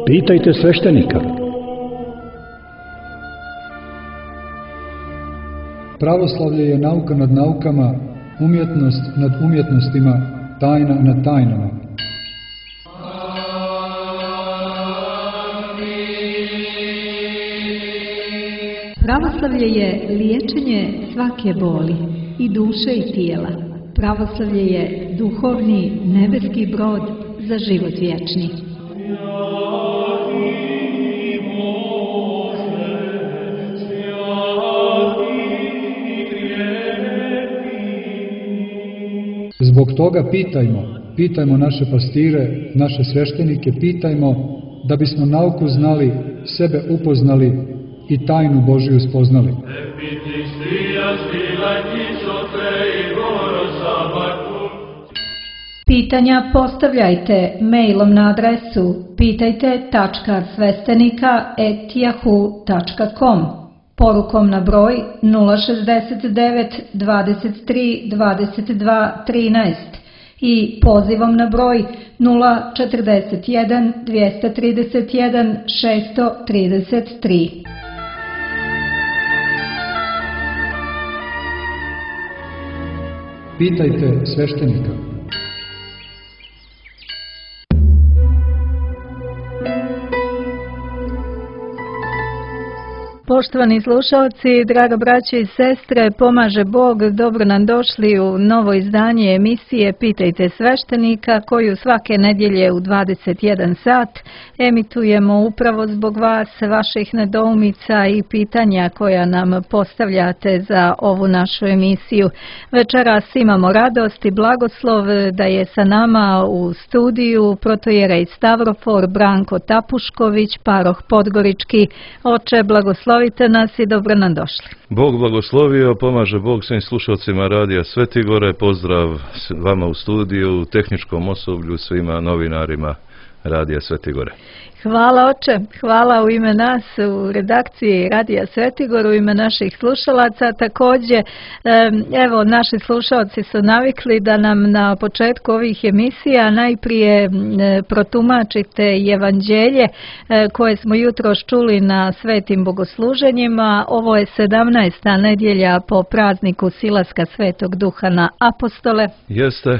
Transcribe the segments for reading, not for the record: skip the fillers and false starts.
Pitajte sveštenika. Pravoslavlje je nauka nad naukama, umjetnost nad umjetnostima, tajna nad tajnama. Pravoslavlje je liječenje svake boli, i duše i tijela. Pravoslavlje je duhovni nebeski brod za život vječni. Zbog toga pitajmo naše pastire, naše sveštenike, pitajmo da bismo nauku znali, sebe upoznali i tajnu Božiju spoznali. Pitanja postavljajte mailom na adresu pitajte.svestenika@yahoo.com, porukom na broj 069 23 22 13 i pozivom na broj 041 231 633. Pitajte sveštenika. Poštovani slušalci, draga braćo i sestre, pomaže Bog, dobro nam došli u novo izdanje emisije Pitajte sveštenika, koju svake nedjelje u 21 sat emitujemo upravo zbog vas, vaših nedoumica i pitanja koja nam postavljate za ovu našu emisiju. Večeras imamo radost i blagoslov da je sa nama u studiju protojerej Stavrofor Branko Tapušković, paroh Podgorički. Oče, blagoslovite nas i dobro nam došli. Bog blagoslovio, pomaže Bog svim slušalcima Radija Svetigore, pozdrav vama u studiju, tehničkom osoblju, svima novinarima Radija Svetigore. Hvala oče, hvala u ime nas u redakciji Radija Svetigor, u ime naših slušalaca. Također, evo, naši slušalci su navikli da nam na početku ovih emisija najprije protumačite evanđelje koje smo jutros čuli na svetim bogosluženjima. Ovo je 17. nedjelja po prazniku silaska Svetog Duha na apostole. Jeste,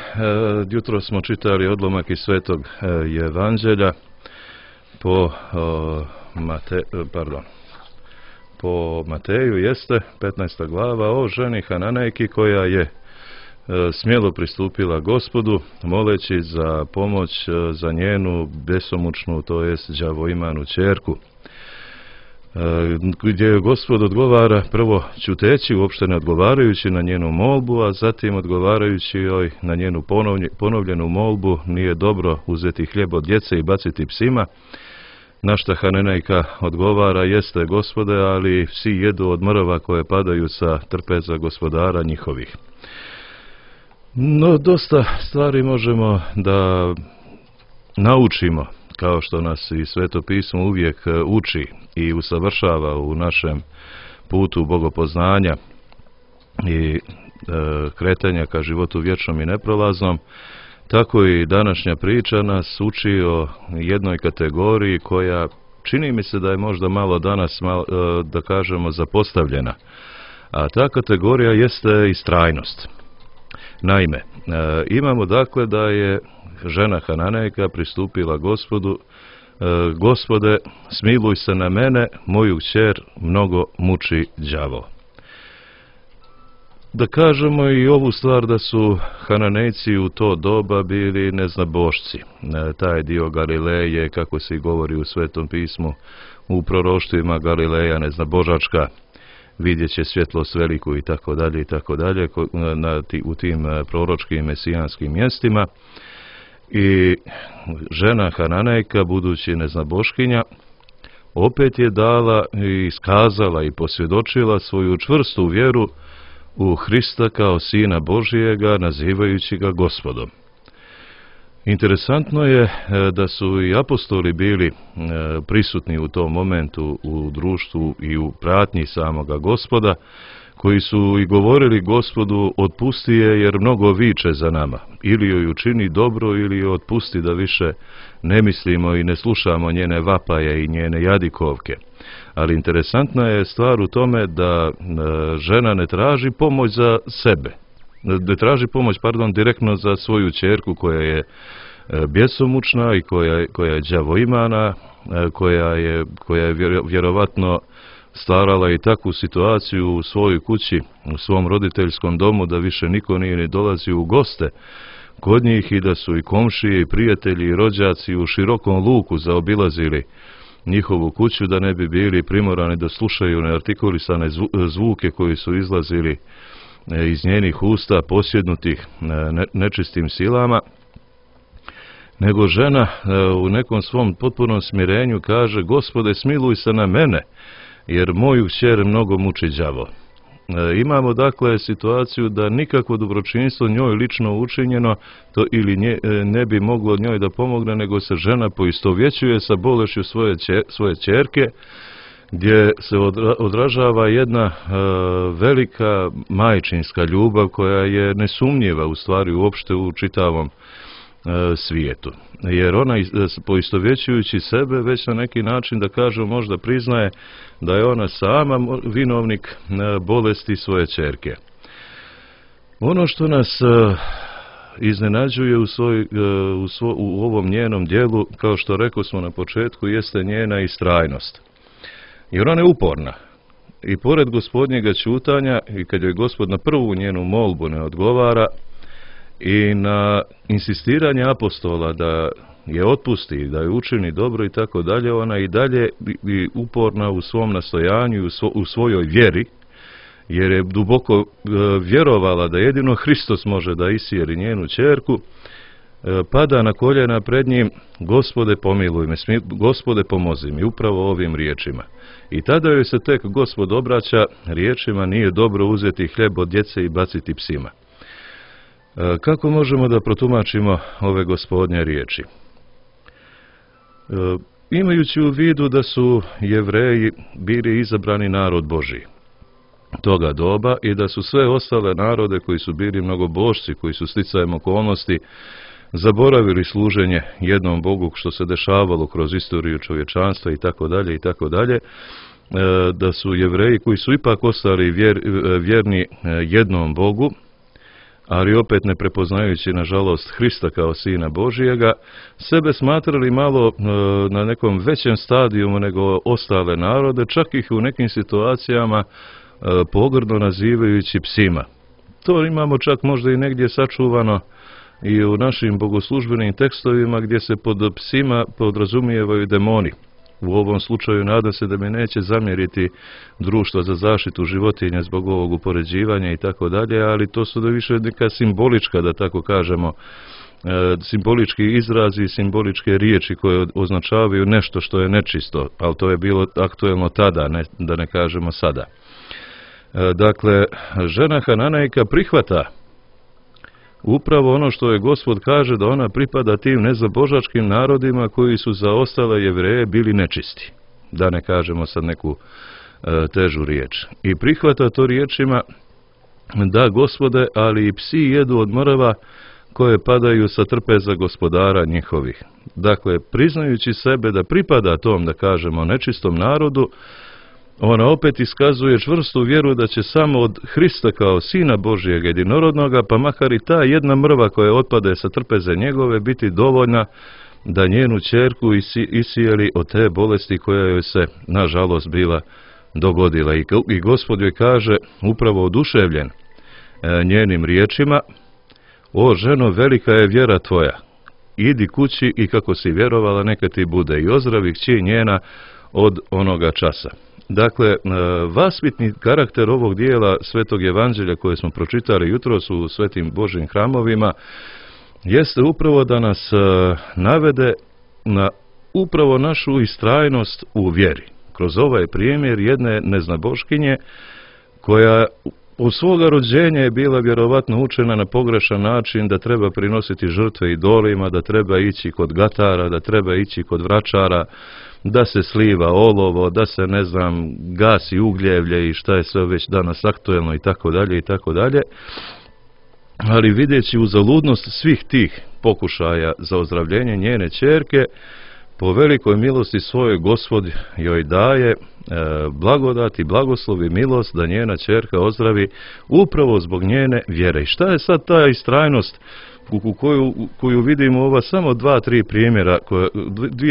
jutros smo čitali odlomak iz Svetog evanđelja po Mateju, jeste 15. glava o ženi Hananejki koja je smjelo pristupila Gospodu moleći za pomoć za njenu besomučnu, to jest đavoimanu ćerku, gdje Gospod odgovara prvo ćuteći, uopšte ne odgovarajući na njenu molbu, a zatim odgovarajući joj na njenu ponovljenu molbu: nije dobro uzeti hljeb od djece i baciti psima. Na šta Hananejka odgovara: jeste, Gospode, ali psi jedu od mrva koje padaju sa trpeza gospodara njihovih. No, dosta stvari možemo da naučimo, kao što nas i Sveto pismo uvijek uči i usavršava u našem putu bogopoznanja i kretanja ka životu vječnom i neprolaznom. Tako i današnja priča nas uči o jednoj kategoriji koja čini mi se da je možda malo danas, da kažemo, zapostavljena. A ta kategorija jeste istrajnost. Naime, imamo dakle da je žena Hananejka pristupila Gospodu: Gospode, smiluj se na mene, moju kćer mnogo muči đavo. Da kažemo i ovu stvar da su Hananejci u to doba bili neznabošci. Taj dio Galileje, kako se govori u Svetom pismu, u proroštvima, Galileja neznabožačka, vidjet će svjetlost veliku i tako dalje, u tim proročkim mesijanskim mjestima. I žena Hananejka, budući neznaboškinja, opet je dala i iskazala i posvjedočila svoju čvrstu vjeru u Hrista kao Sina Božijega, nazivajući ga Gospodom. Interesantno je da su i apostoli bili prisutni u tom momentu u društvu i u pratnji samoga Gospoda, koji su i govorili Gospodu otpusti je jer mnogo viče za nama, ili joj učini dobro ili joj otpusti da više ne mislimo i ne slušamo njene vapaje i njene jadikovke. Ali interesantna je stvar u tome da žena ne traži pomoć za sebe, ne traži pomoć, direktno za svoju ćerku koja je bjesomučna i koja je đavoimana, koja je vjerovatno stvarala i takvu situaciju u svojoj kući, u svom roditeljskom domu, da više niko nije ni dolazio u goste kod njih i da su i komšije i prijatelji i rođaci u širokom luku zaobilazili njihovu kuću, da ne bi bili primorani da slušaju neartikulisane zvuke koji su izlazili iz njenih usta posjednutih nečistim silama, nego žena u nekom svom potpunom smirenju kaže: Gospode, smiluj se na mene, jer moju kćer mnogo muči đavo. Imamo dakle situaciju da nikakvo dobročinstvo njoj lično učinjeno to ili ne bi moglo njoj da pomogne, nego se žena poistovjećuje sa bolešću svoje ćerke, gdje se odražava jedna velika majčinska ljubav koja je nesumnjiva u stvari uopšte u čitavom svijetu. Jer ona, poistovjećujući sebe, već na neki način, da kažem, možda priznaje da je ona sama vinovnik bolesti svoje ćerke. Ono što nas iznenađuje u ovom njenom djelu, kao što rekao smo na početku, jeste njena istrajnost. Jer ona je uporna. I pored Gospodnjega ćutanja, i kad joj Gospod na prvu njenu molbu ne odgovara, i na insistiranje apostola da je otpusti, da je učini dobro i tako dalje, ona i dalje uporna u svom nastojanju, u svojoj vjeri, jer je duboko vjerovala da jedino Hristos može da isjeri njenu ćerku, pada na koljena pred njim: Gospode, pomiluj me, Gospode, pomozi mi, upravo ovim riječima. I tada joj se tek Gospod obraća riječima: nije dobro uzeti hljeb od djece i baciti psima. Kako možemo da protumačimo ove Gospodnje riječi? Imajući u vidu da su Jevreji bili izabrani narod Božji toga doba i da su sve ostale narode koji su bili mnogobožci, koji su sticajem okolnosti zaboravili služenje jednom Bogu, što se dešavalo kroz istoriju čovječanstva i tako dalje, da su Jevreji koji su ipak ostali vjerni jednom Bogu, ali opet ne prepoznajući, nažalost, Hrista kao Sina Božijega, sebe smatrali malo na nekom većem stadijumu nego ostale narode, čak ih u nekim situacijama pogrdno nazivajući psima. To imamo čak možda i negdje sačuvano i u našim bogoslužbenim tekstovima, gdje se pod psima podrazumijevaju demoni. U ovom slučaju nadam se da mi neće zamjeriti Društvo za zaštitu životinja zbog ovog upoređivanja i tako dalje, ali to su da više neka simbolička, da tako kažemo, simbolički izrazi i simboličke riječi koje označavaju nešto što je nečisto, ali to je bilo aktuelno tada, da ne kažemo sada. Dakle, žena Hananejka prihvata upravo ono što je Gospod kaže, da ona pripada tim nezabožačkim narodima koji su za ostale Jevreje bili nečisti. Da ne kažemo sad neku težu riječ. I prihvata to riječima: da, Gospode, ali i psi jedu od mrva koje padaju sa trpeza gospodara njihovih. Dakle, priznajući sebe da pripada tom, da kažemo, nečistom narodu, ona opet iskazuje čvrstu vjeru da će samo od Hrista kao Sina Božijeg jedinorodnoga, pa makar i ta jedna mrva koja otpade sa trpeze njegove, biti dovoljna da njenu ćerku isijeli od te bolesti koja joj se, nažalost, bila dogodila. I Gospod joj kaže, upravo oduševljen njenim riječima: o ženo, velika je vjera tvoja, idi kući i kako si vjerovala neka ti bude, i ozdravi kći njena od onoga časa. Dakle, vaspitni karakter ovog dijela Svetog Evanđelja koje smo pročitali jutros u Svetim Božjim hramovima jeste upravo da nas navede na upravo našu istrajnost u vjeri. Kroz ovaj primjer jedne neznaboškinje koja od svoga rođenja je bila vjerovatno učena na pogrešan način da treba prinositi žrtve idolima, da treba ići kod gatara, da treba ići kod vračara, da se sliva olovo, da se, ne znam, gasi ugljevlje i šta je sve već danas aktuelno i tako dalje i tako dalje. Ali vidjeći uzaludnost svih tih pokušaja za ozdravljenje njene ćerke, po velikoj milosti svojoj Gospod joj daje blagodat i blagoslov i milost da njena ćerka ozdravi upravo zbog njene vjere. I šta je sad ta istrajnost koju vidimo ova samo 2-3 primjera,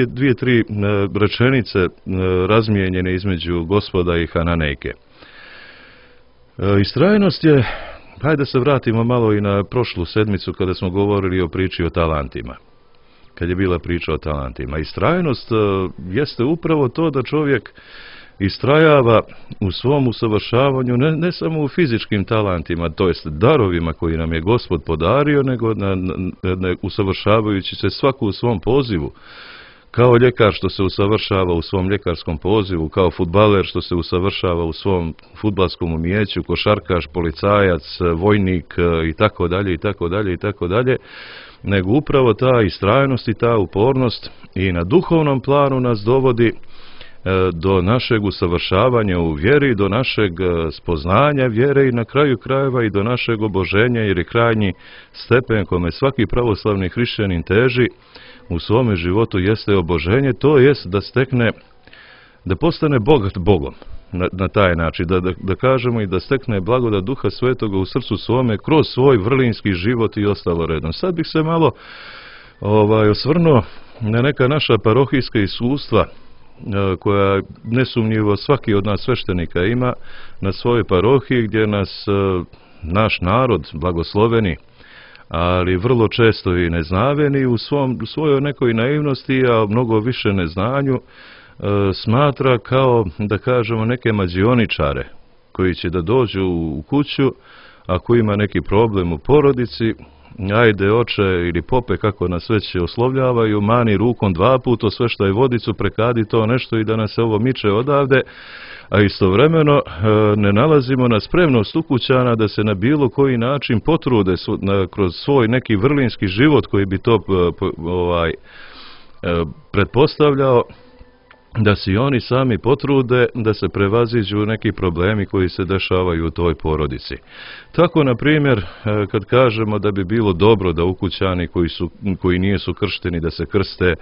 dvije, tri rečenice razmijenjene između Gospoda i Hananejke. Istrajnost je, hajde da se vratimo malo i na prošlu sedmicu kada smo govorili o priči o talentima. Kad je bila priča o talentima. Istrajnost jeste upravo to da čovjek istrajava u svom usavršavanju ne samo u fizičkim talentima, to jest darovima koji nam je Gospod podario, nego usavršavajući se svaku u svom pozivu. Kao ljekar što se usavršava u svom ljekarskom pozivu, kao fudbaler što se usavršava u svom fudbalskom umijeću, košarkaš, policajac, vojnik i tako dalje i tako dalje i tako dalje, nego upravo ta istrajnost i ta upornost i na duhovnom planu nas dovodi do našeg usavršavanja u vjeri, do našeg spoznanja vjere i na kraju krajeva i do našeg oboženja, jer je krajnji stepen kome svaki pravoslavni hrišćanin teži u svome životu jeste oboženje, to jest da stekne, da postane bogat Bogom na taj način, da kažemo i da stekne blagodat Duha Svetoga u srcu svome kroz svoj vrlinski život i ostalo redom. Sad bih se malo osvrnuo na neka naša parohijska iskustva koja nesumnjivo svaki od nas sveštenika ima na svojoj parohiji, gdje nas naš narod blagosloveni, ali vrlo često i neznaveni u svojoj nekoj naivnosti, a mnogo više neznanju, smatra kao, da kažemo, neke mađioničare koji će da dođu u kuću ako ima neki problem u porodici. Ajde oče ili pope, kako nas već oslovljavaju, mani rukom 2 puta sve što je vodicu, prekadi to nešto i da nas se ovo miče odavde, a istovremeno ne nalazimo na spremnost ukućana da se na bilo koji način potrude kroz svoj neki vrlinski život koji bi to pretpostavljao, da si oni sami potrude da se prevaziđu neki problemi koji se dešavaju u toj porodici. Tako, na primjer, kad kažemo da bi bilo dobro da ukućani koji nisu kršteni da se krste,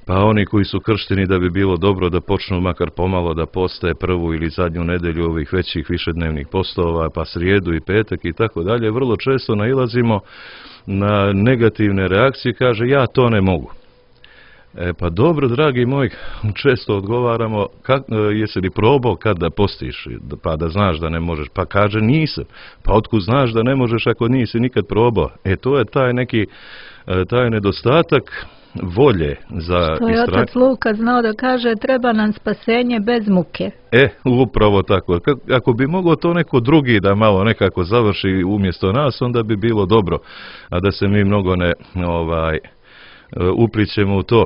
pa oni koji su kršteni da bi bilo dobro da počnu makar pomalo da poste prvu ili zadnju nedelju ovih većih višednevnih postova, pa srijedu i petak i tako dalje, vrlo često nailazimo na negativne reakcije, kaže ja to ne mogu. Pa dobro, dragi moj, često odgovaramo, jesi li probao kad da postiš, pa da znaš da ne možeš, pa kaže nisam, pa otkud znaš da ne možeš ako nisi nikad probao. To je taj nedostatak volje za što je otac Luka znao da kaže, treba nam spasenje bez muke. Upravo tako. Ako bi mogao to neko drugi da malo nekako završi umjesto nas, onda bi bilo dobro, a da se mi mnogo ne uplićemo u to.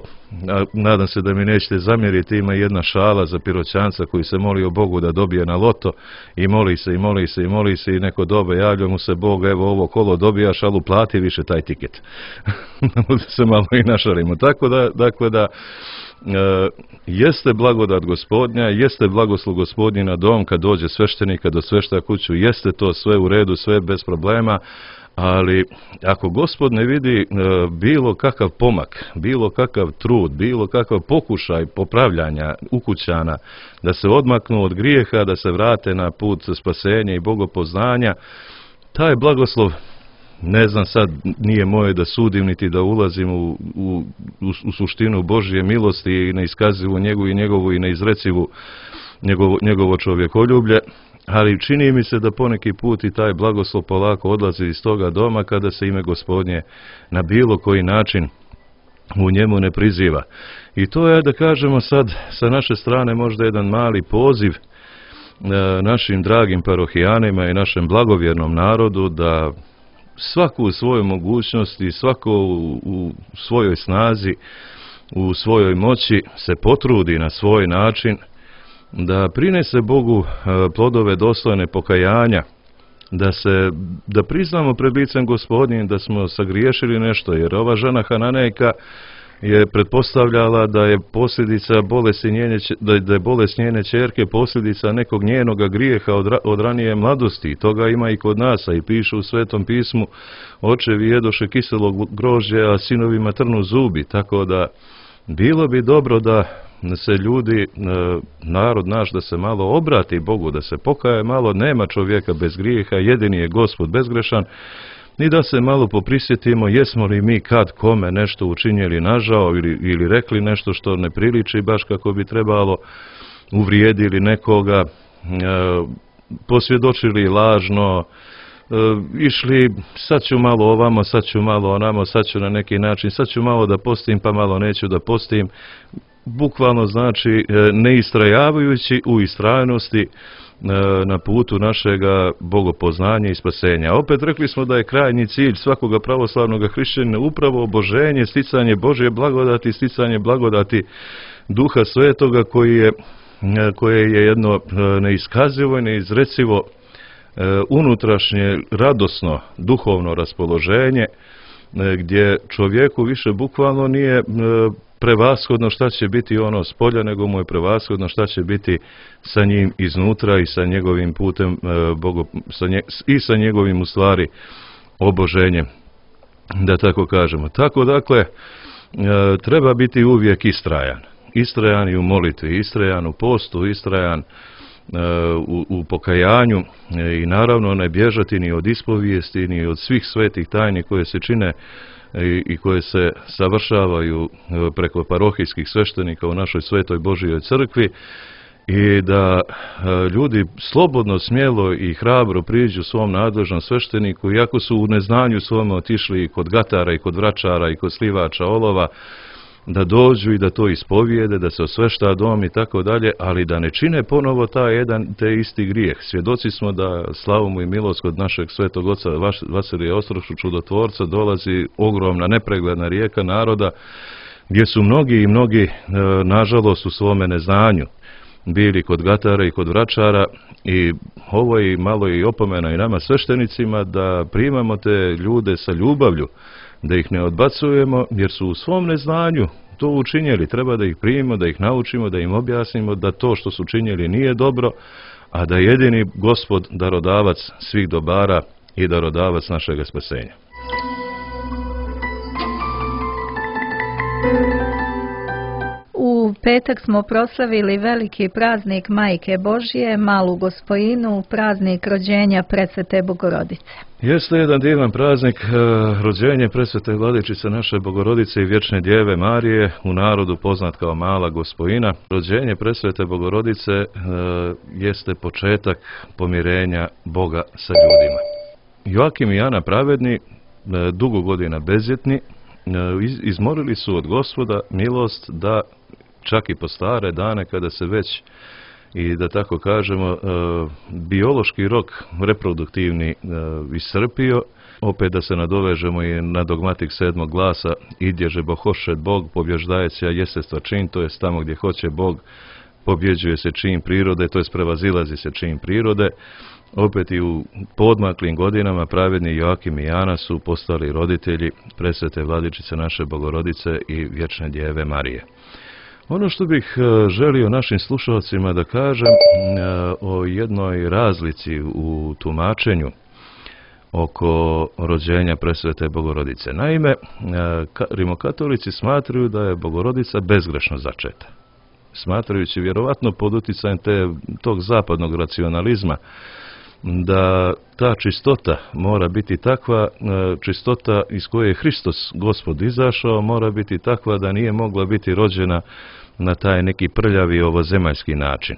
Nadam se da mi nećete zamjeriti, ima jedna šala za Piroćanca koji se molio Bogu da dobije na loto i moli se i neko dobe, javlja mu se Bog, evo ovo kolo dobijaš, ali uplati više taj tiket. Da se malo i našalimo. Tako da jeste blagodat Gospodnja, jeste blagoslov Gospodnji na dom kad dođe sveštenika do svešta kuću, jeste to sve u redu, sve bez problema. Ali ako Gospod ne vidi bilo kakav pomak, bilo kakav trud, bilo kakav pokušaj popravljanja ukućana, da se odmaknu od grijeha, da se vrate na put spasenja i bogopoznanja, taj blagoslov, ne znam sad, nije moje da sudim niti da ulazim u suštinu Božje milosti i na iskazivu njegovu i na izrecivu njegovo čovjekoljublje, ali čini mi se da poneki put i taj blagoslov polako odlazi iz toga doma kada se ime Gospodnje na bilo koji način u njemu ne priziva. I to je, da kažemo sad, sa naše strane možda jedan mali poziv našim dragim parohijanima i našem blagovjernom narodu da svako u svojoj mogućnosti, svako u svojoj snazi, u svojoj moći se potrudi na svoj način da prinese Bogu plodove dostojne pokajanja da priznamo pred licem Gospodnjim da smo sagriješili nešto, jer ova žena Hananejka je pretpostavljala da je posljedica da je bolest njene ćerke posljedica nekog njenoga grijeha od ranije mladosti. Toga ima i kod nas, a i piše u Svetom pismu: očevi jedoše kiselog grožđa, a sinovima trnu zubi. Tako da bilo bi dobro da se ljudi, narod naš, da se malo obrati Bogu, da se pokaje malo. Nema čovjeka bez grijeha, jedini je Gospod bezgrešan. I da se malo poprisjetimo jesmo li mi kad kome nešto učinjeli nažao ili rekli nešto što ne priliči baš kako bi trebalo, uvrijedili nekoga, posvjedočili lažno, išli sad ću malo ovamo, sad ću malo onamo, sad ću na neki način, sad ću malo da postim pa malo neću da postim. Bukvalno znači ne istrajavajući u istrajnosti na putu našega bogopoznanja i spasenja. Opet rekli smo da je krajnji cilj svakoga pravoslavnog hrišćanina upravo oboženje, sticanje Božje blagodati, sticanje blagodati Duha Svetoga koje je jedno neiskazivo i neizrecivo unutrašnje radosno duhovno raspoloženje, gdje čovjeku više bukvalno nije prevashodno šta će biti ono s polja, nego mu je prevashodno šta će biti sa njim iznutra i sa njegovim putem i sa njegovim u stvari oboženjem, da tako kažemo. Tako dakle, treba biti uvijek istrajan i u molitvi, istrajan u postu, istrajan u pokajanju i naravno ne bježati ni od ispovijesti, ni od svih svetih tajni koje se čine i koje se savršavaju preko parohijskih sveštenika u našoj svetoj Božjoj crkvi, i da ljudi slobodno, smjelo i hrabro priđu svom nadležnom svešteniku, iako su u neznanju svome otišli i kod gatara i kod vračara i kod slivača olova, da dođu i da to ispovijede, da se osvešta dom i tako dalje, ali da ne čine ponovo te isti grijeh. Svjedoci smo da slavu mu i milost kod našeg svetog oca Vasilija Ostrošu, čudotvorca, dolazi ogromna nepregledna rijeka naroda, gdje su mnogi nažalost u svome neznanju bili kod gatara i kod vračara, i ovo je malo i opomena i nama sveštenicima da primamo te ljude sa ljubavlju, da ih ne odbacujemo, jer su u svom neznanju to učinjeli. Treba da ih primimo, da ih naučimo, da im objasnimo da to što su učinjeli nije dobro, a da jedini Gospod darodavac svih dobara i darodavac našega spasenja. U petak smo proslavili veliki praznik Majke Božje, Malu Gospojinu, praznik rođenja Presvete Bogorodice. Jeste jedan divan praznik, rođenje Presvete Vladičice naše Bogorodice i Vječne Djeve Marije, u narodu poznat kao Mala Gospojina. Rođenje Presvete Bogorodice jeste početak pomirenja Boga sa ljudima. Joakim i Ana pravedni, dugo godina bezjetni, izmolili su od Gospoda milost da čak i po stare dane, kada se već, i da tako kažemo, biološki rok reproduktivni iscrpio, opet da se nadovežemo i na dogmatik 7. glasa: idježe bo hoše Bog, pobježdajeća jesestva čin, to je tamo gdje hoće Bog, pobjeđuje se čin prirode, to je prevazilazi se čin prirode. Opet i u podmaklim godinama pravedni Joakim i Ana su postali roditelji Presvete Vladičice naše Bogorodice i Vječne Djeve Marije. Ono što bih želio našim slušalcima da kažem o jednoj razlici u tumačenju oko rođenja Presvete Bogorodice. Naime, rimokatolici smatraju da je Bogorodica bezgrešno začeta. Smatrajući vjerovatno pod utjecajem tog zapadnog racionalizma da ta čistota mora biti takva, čistota iz koje je Hristos Gospod izašao, mora biti takva da nije mogla biti rođena na taj neki prljavi ovozemaljski način.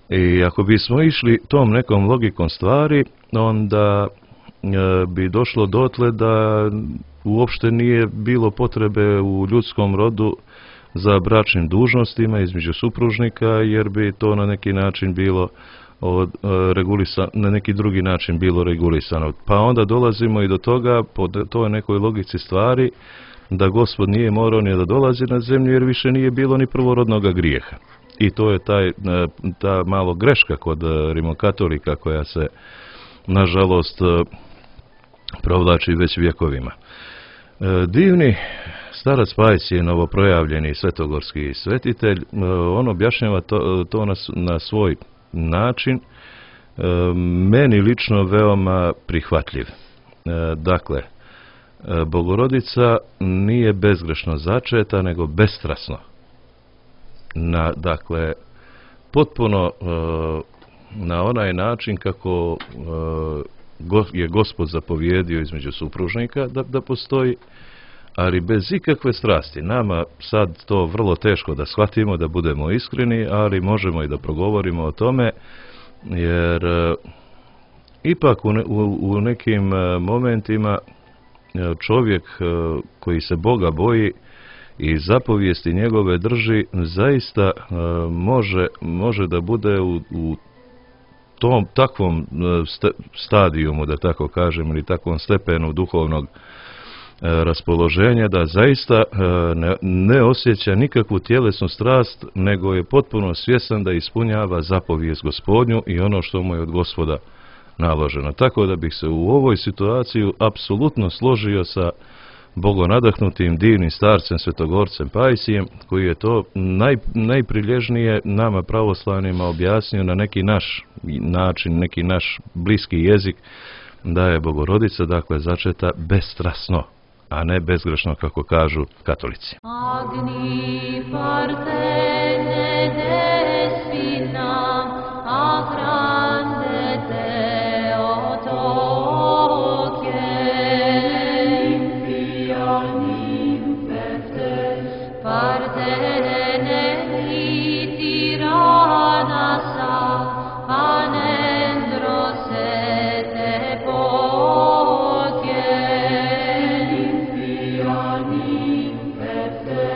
I ako bismo išli tom nekom logikom stvari, onda bi došlo dotle da uopšte nije bilo potrebe u ljudskom rodu za bračnim dužnostima između supružnika, jer bi to na neki način bilo na neki drugi način bilo regulisano. Pa onda dolazimo i do toga, po toj nekoj logici stvari, da Gospod nije morao ni da dolazi na zemlju, jer više nije bilo ni prvorodnoga grijeha. I to je ta malo greška kod rimokatolika koja se nažalost, provlači već vjekovima. Divni starac Pajsije, novoprojavljeni svetogorski svetitelj, on objašnjava to na svoj način, meni lično veoma prihvatljiv. Dakle, Bogorodica nije bezgrešno začeta, nego bestrasno. Dakle, potpuno na onaj način kako je Gospod zapovjedio između supružnika da postoji, ali bez ikakve strasti. Nama sad to vrlo teško da shvatimo, da budemo iskreni, ali možemo i da progovorimo o tome, jer ipak u nekim momentima čovjek koji se Boga boji i zapovijesti njegove drži, zaista može da bude u tom takvom stadijumu, da tako kažem, ili takvom stepenu duhovnog raspoloženja, da zaista ne osjeća nikakvu tjelesnu strast, nego je potpuno svjestan da ispunjava zapovijest Gospodnju i ono što mu je od Gospoda naloženo. Tako da bih se u ovoj situaciji apsolutno složio sa bogonadahnutim divnim starcem Svetogorcem Pajsijem, koji je to najprilježnije nama pravoslavnima objasnio na neki naš način, neki naš bliski jezik, da je Bogorodica, dakle, začeta bestrasno, a ne bezgrešno, kako kažu katolici. Agni partene despina, agrande te otoke, impianim perte, partene litirana sa, panendro se te poke, impianim perte,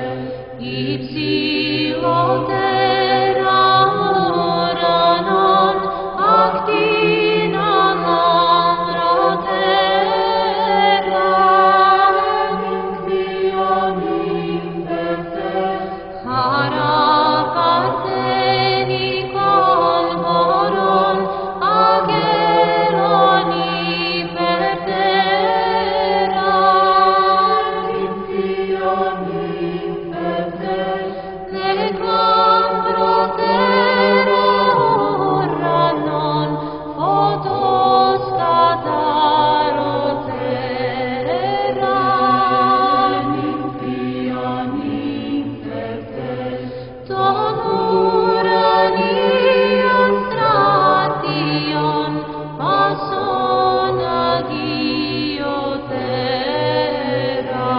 ipsilo terra oranon, actina lambra terra, impianim perte, cara parteni convoron, ageroni per terra, impianim perte, necam protero ranon, photos cataro terra, impianim perte, tonuranion stratium, passon agio terra,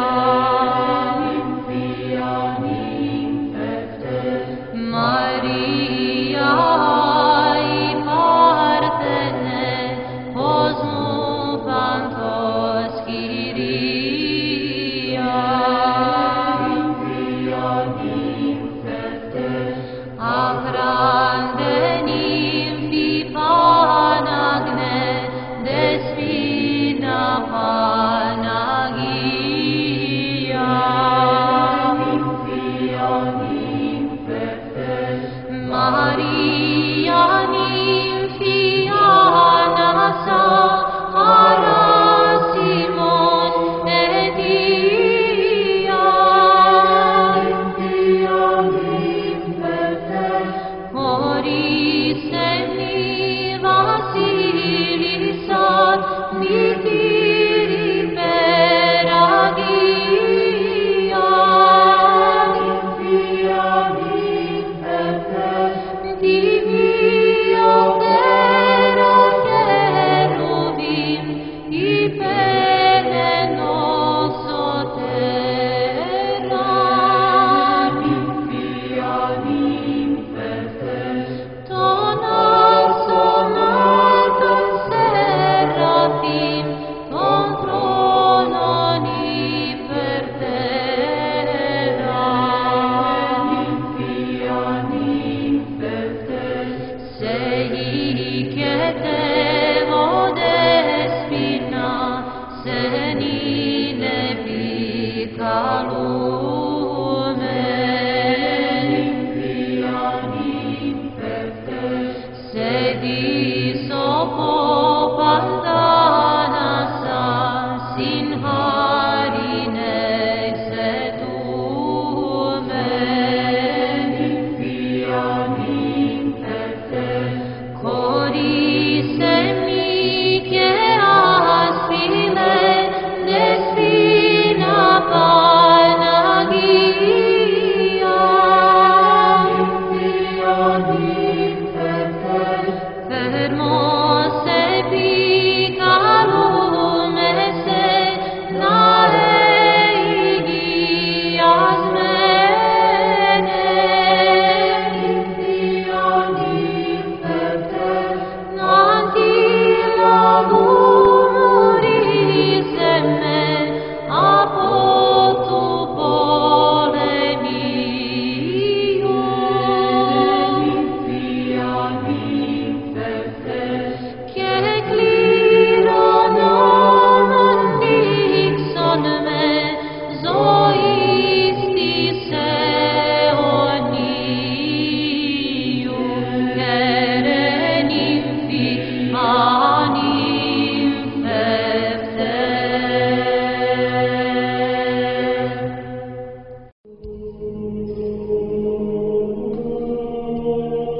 impianim perte, Maria i partene, posmu pantos Kyria, impianim perte, agrande nymphi panagne, despina panagia, impianim perte, Maria nymphiana sa, ara Simon et Ia, impianim perte, moris semni Vasilisat, mitiri per agia, impianim perte, divio terra cherubim, ipelenoso terra, impianim perte, tonar sonaton seraphim, con trononi per terra, impianim perte, sei che devo despina, senine picalume, impianim perte, sedi sopo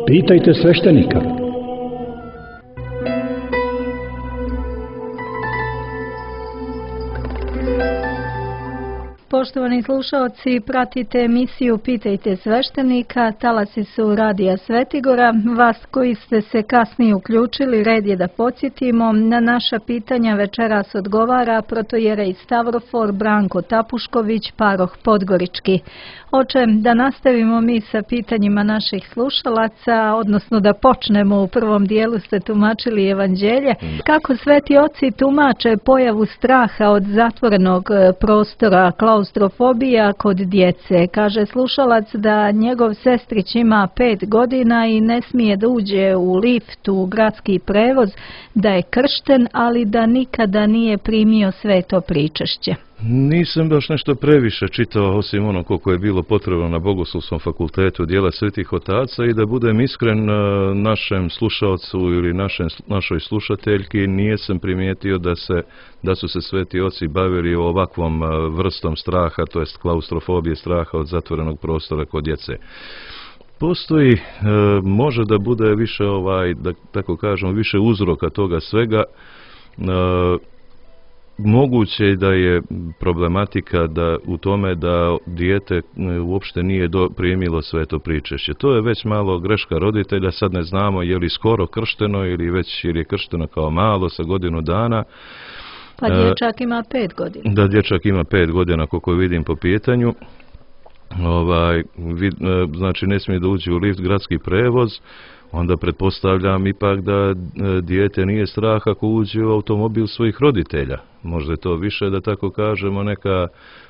Pitajte sveštenika. Poštovani slušalci, pratite emisiju Pitajte sveštenika, talasi su Radija Svetigora. Vas koji ste se kasnije uključili, red je da podsjetimo, na naša pitanja večeras odgovara protojerej Stavrofor Branko Tapušković, paroh Podgorički. Oče, da nastavimo mi sa pitanjima naših slušalaca, odnosno da počnemo. U prvom dijelu ste tumačili evanđelje. Kako sveti oci tumače pojavu straha od zatvorenog prostora, klaustrofobija kod djece? Kaže slušalac da njegov sestrić ima 5 godina i ne smije da uđe u lift, u gradski prevoz, da je kršten, ali da nikada nije primio sveto pričešće. Nisam baš nešto previše čitao, osim ono koliko je bilo potrebno na Bogoslovskom fakultetu Djela svetih otaca, i da budem iskren našem slušalcu ili našoj slušateljki, nisam primijetio da su se sveti oci bavili ovakvom vrstom straha, to jest klaustrofobije, straha od zatvorenog prostora kod djece. Postoji, može da bude više, da tako kažemo, više uzroka toga svega. Moguće je da je problematika u tome da dijete uopšte nije primilo sveto pričešće. To je već malo greška roditelja, sad ne znamo je li skoro kršteno ili je kršteno kao malo sa godinu dana. Pa dječak ima 5 godina. Da, dječak ima 5 godina, koliko vidim po pitanju. Znači ne smije da uđe u lift, gradski prevoz. Onda pretpostavljam ipak da dijete nije strah ako uđe u automobil svojih roditelja. Možda je to više, da tako kažemo, neka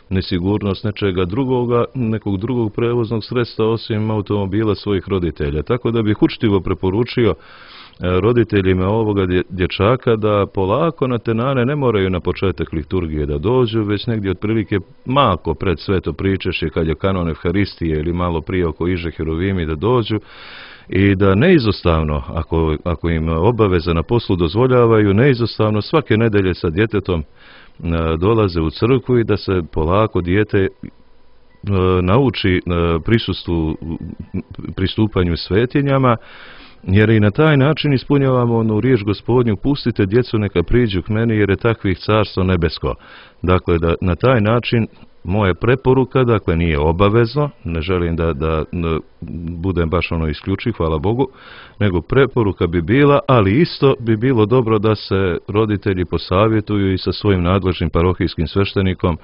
nesigurnost nečega drugoga, nekog drugog prevoznog sredstva osim automobila svojih roditelja. Tako da bih učtivo preporučio roditeljima ovoga dječaka da polako na tenane ne moraju na početak liturgije da dođu, već negdje otprilike malko pred sveto pričešće, kad je kanon Evharistije, ili malo prije oko Iže Heruvimi, da dođu, i da neizostavno, ako im obaveza na poslu dozvoljavaju, neizostavno svake nedelje sa djetetom dolaze u crkvu i da se polako dijete nauči pristupanju svetinjama, jer i na taj način ispunjavamo onu riječ Gospodnju: pustite djecu neka priđu k meni, jer je takvih carstvo nebesko. Dakle, da na taj način, moja preporuka, dakle nije obavezno, ne želim da budem baš isključiv, hvala Bogu, nego preporuka bi bila, ali isto bi bilo dobro da se roditelji posavjetuju i sa svojim nadležnim parohijskim sveštenikom,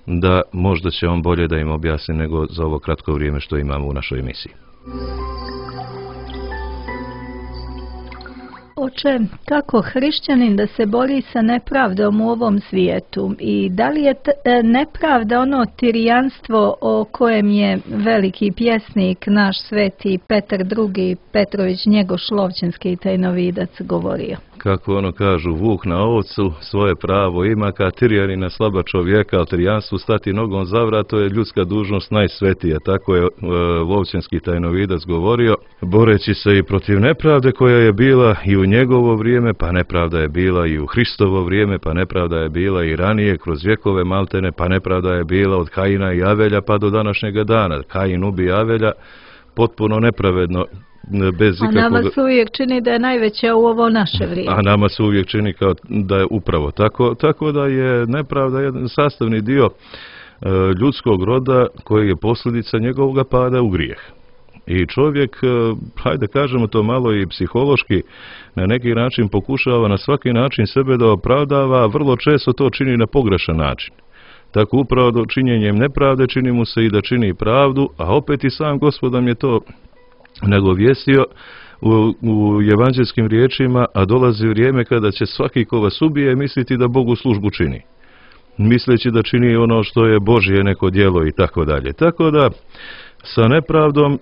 da možda će on bolje da im objasni nego za ovo kratko vrijeme što imamo u našoj emisiji. Oče, kako hrišćanin da se bori sa nepravdom u ovom svijetu, i da li je nepravda ono tirijanstvo o kojem je veliki pjesnik naš sveti Petar II. Petrović Njegoš Lovćenski tajnovidac govorio? Kako ono kažu, vuk na ovcu svoje pravo ima, kad tirijanina slaba čovjeka, ali tirijanstvu stati nogom za vrat, to je ljudska dužnost najsvetija. Tako je Lovćenski tajnovidac govorio, boreći se i protiv nepravde koja je bila i u njegovo vrijeme, pa nepravda je bila i u Hristovo vrijeme, pa nepravda je bila i ranije kroz vjekove maltene, pa nepravda je bila od Kaina i Avelja pa do današnjega dana. Kain ubije Avelja potpuno nepravedno, bez ikakvog... A nama se uvijek čini da je najveća u ovo naše vrijeme. A nama se uvijek čini kao da je upravo tako da je nepravda jedan sastavni dio ljudskog roda koji je posljedica njegovog pada u grijeh. I čovjek, hajde kažemo to malo i psihološki, na neki način pokušava na svaki način sebe da opravdava, a vrlo često to čini na pogrešan način. Tako upravo činjenjem nepravde čini mu se i da čini pravdu, a opet i sam Gospod nam je to nagovijestio u evanđelskim riječima: a dolazi vrijeme kada će svaki ko vas ubije misliti da Bogu službu čini, misleći da čini ono što je Božje neko djelo i tako dalje. Tako da sa nepravdom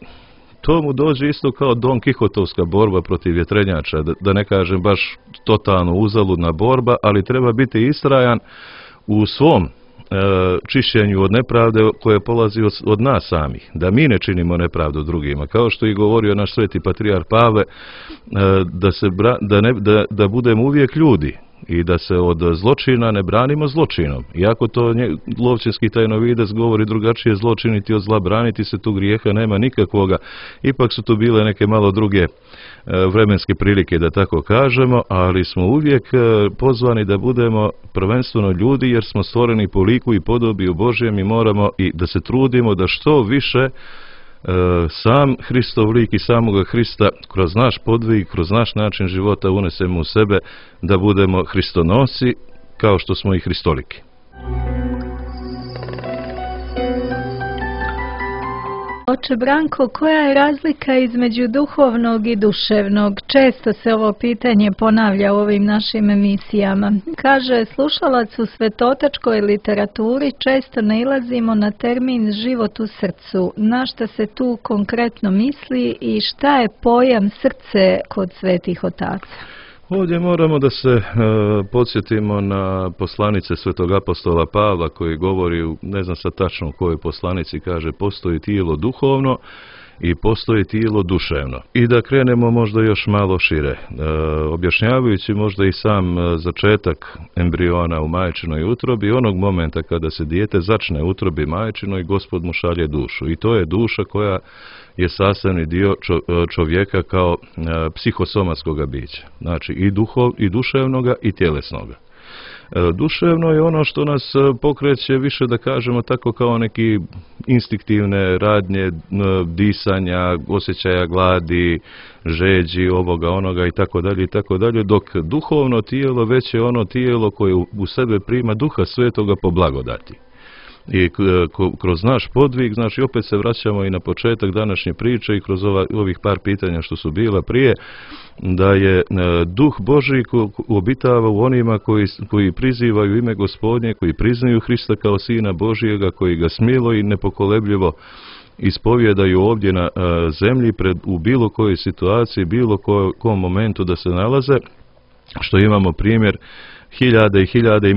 to mu dođe isto kao Don Kihotovska borba protiv vjetrenjača, da ne kažem baš totalno uzaludna borba, ali treba biti istrajan u svom čišćenju od nepravde koje polazi od nas samih, da mi ne činimo nepravdu drugima, kao što i govorio naš sveti patrijarh Pavle, da budemo uvijek ljudi, i da se od zločina ne branimo zločinom. Iako to Lovćenski tajnovidac govori drugačije, zločiniti od zla, braniti se, tu grijeha nema nikakvoga. Ipak su tu bile neke malo druge vremenske prilike, da tako kažemo, ali smo uvijek pozvani da budemo prvenstveno ljudi, jer smo stvoreni po liku i podobi Božjem i moramo i da se trudimo da što više sam Hristov lik i samoga Hrista kroz naš podvig, kroz naš način života unesemo u sebe, da budemo Hristonosi kao što smo i Hristoliki. Oče Branko, koja je razlika između duhovnog i duševnog? Često se ovo pitanje ponavlja u ovim našim emisijama. Kaže, slušalac u svetotačkoj literaturi često nailazimo na termin život u srcu. Na šta se tu konkretno misli i šta je pojam srce kod svetih otaca? Ovdje moramo da se podsjetimo na poslanice svetog apostola Pavla koji govori, ne znam sad tačno u kojoj poslanici, kaže postoji tijelo duhovno i postoji tijelo duševno. I da krenemo možda još malo šire, objašnjavajući možda i sam začetak embriona u majčinoj utrobi, onog momenta kada se dijete začne u utrobi majčinoj, Gospod mu šalje dušu. I to je duša koja je sastavni dio čovjeka kao psihosomatskog bića. Znači i duševnoga i tjelesnoga. Duševno je ono što nas pokreće više, da kažemo tako, kao neki instinktivne radnje, disanja, osjećaja gladi, žeđi, ovoga, onoga i tako dalje, dok duhovno tijelo već je ono tijelo koje u sebe prima Duha Svetoga po blagodati. I kroz naš podvig, znači opet se vraćamo i na početak današnje priče i kroz ovih par pitanja što su bila prije, da je Duh Božji obitava u onima koji prizivaju ime Gospodnje, koji priznaju Hrista kao Sina Božjega, koji ga smilo i nepokolebljivo ispovjedaju ovdje na zemlji u bilo kojoj situaciji, bilo kom momentu da se nalaze, što imamo primjer hiljade i hiljade i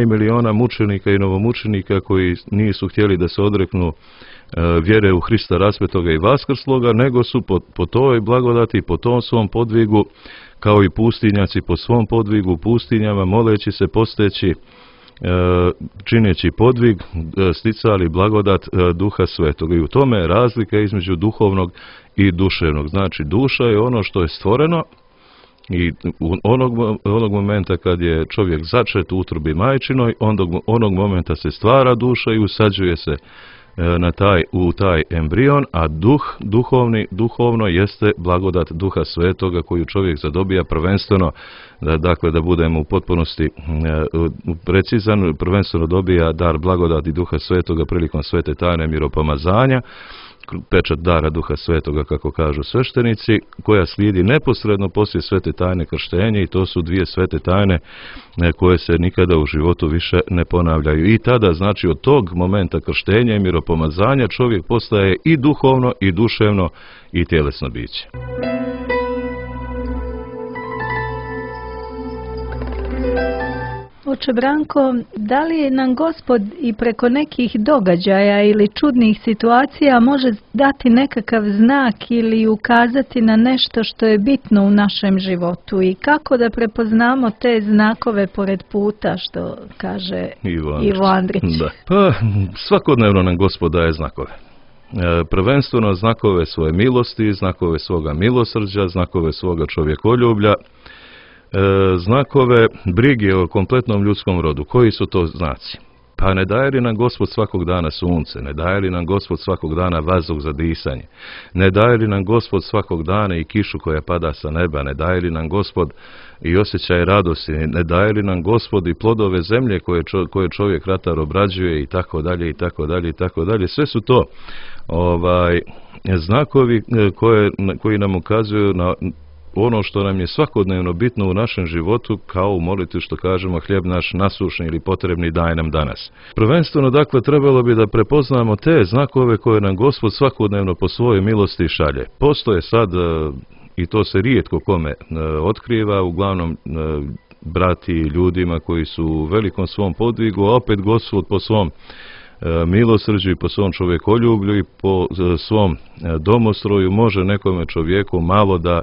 miliona mučenika i novomučenika koji nisu htjeli da se odreknu vjere u Hrista raspetoga i vaskrsloga, nego su po toj blagodati, po tom svom podvigu, kao i pustinjaci po svom podvigu u pustinjama, moleći se, posteći, čineći podvig, sticali blagodat Duha Svetoga. I u tome je razlika između duhovnog i duševnog. Znači, duša je ono što je stvoreno, i onog momenta kad je čovjek začet u utrobi majčinoj, onog momenta se stvara duša i usađuje se u taj embrion, a duhovno jeste blagodat Duha Svetoga koju čovjek zadobija prvenstveno, dakle da budemo u potpunosti precizan, prvenstveno dobija dar blagodati Duha Svetoga prilikom svete tajne miropomazanja, pečat dara Duha Svetoga, kako kažu sveštenici, koja slijedi neposredno poslije svete tajne krštenja, i to su dvije svete tajne koje se nikada u životu više ne ponavljaju. I tada, znači, od tog momenta krštenja i miropomazanja čovjek postaje i duhovno i duševno i tjelesno biće. Oče Branko, da li nam Gospod i preko nekih događaja ili čudnih situacija može dati nekakav znak ili ukazati na nešto što je bitno u našem životu i kako da prepoznamo te znakove pored puta, što kaže Ivo Andrić? Da. Pa, svakodnevno nam Gospod daje znakove. Prvenstveno znakove svoje milosti, znakove svoga milosrđa, znakove svoga čovjekoljublja, znakove brige o kompletnom ljudskom rodu. Koji su to znaci? Pa ne daje li nam Gospod svakog dana sunce, ne daje li nam Gospod svakog dana vazduh za disanje, ne daje li nam Gospod svakog dana i kišu koja pada sa neba, ne daje li nam Gospod i osjećaj radosti, ne daje li nam Gospod i plodove zemlje koje čovjek ratar obrađuje i tako dalje i tako dalje i tako dalje. Sve su to znakovi koji nam ukazuju na ono što nam je svakodnevno bitno u našem životu, kao u molitvi što kažemo hljeb naš nasušni ili potrebni daj nam danas. Prvenstveno, dakle, trebalo bi da prepoznamo te znakove koje nam Gospod svakodnevno po svojoj milosti šalje. Postoje sad, i to se rijetko kome otkriva, uglavnom brati ljudima koji su u velikom svom podvigu, a opet Gospod po svom milosrđu i po svom čovjekoljublju i po svom domostroju može nekome čovjeku malo da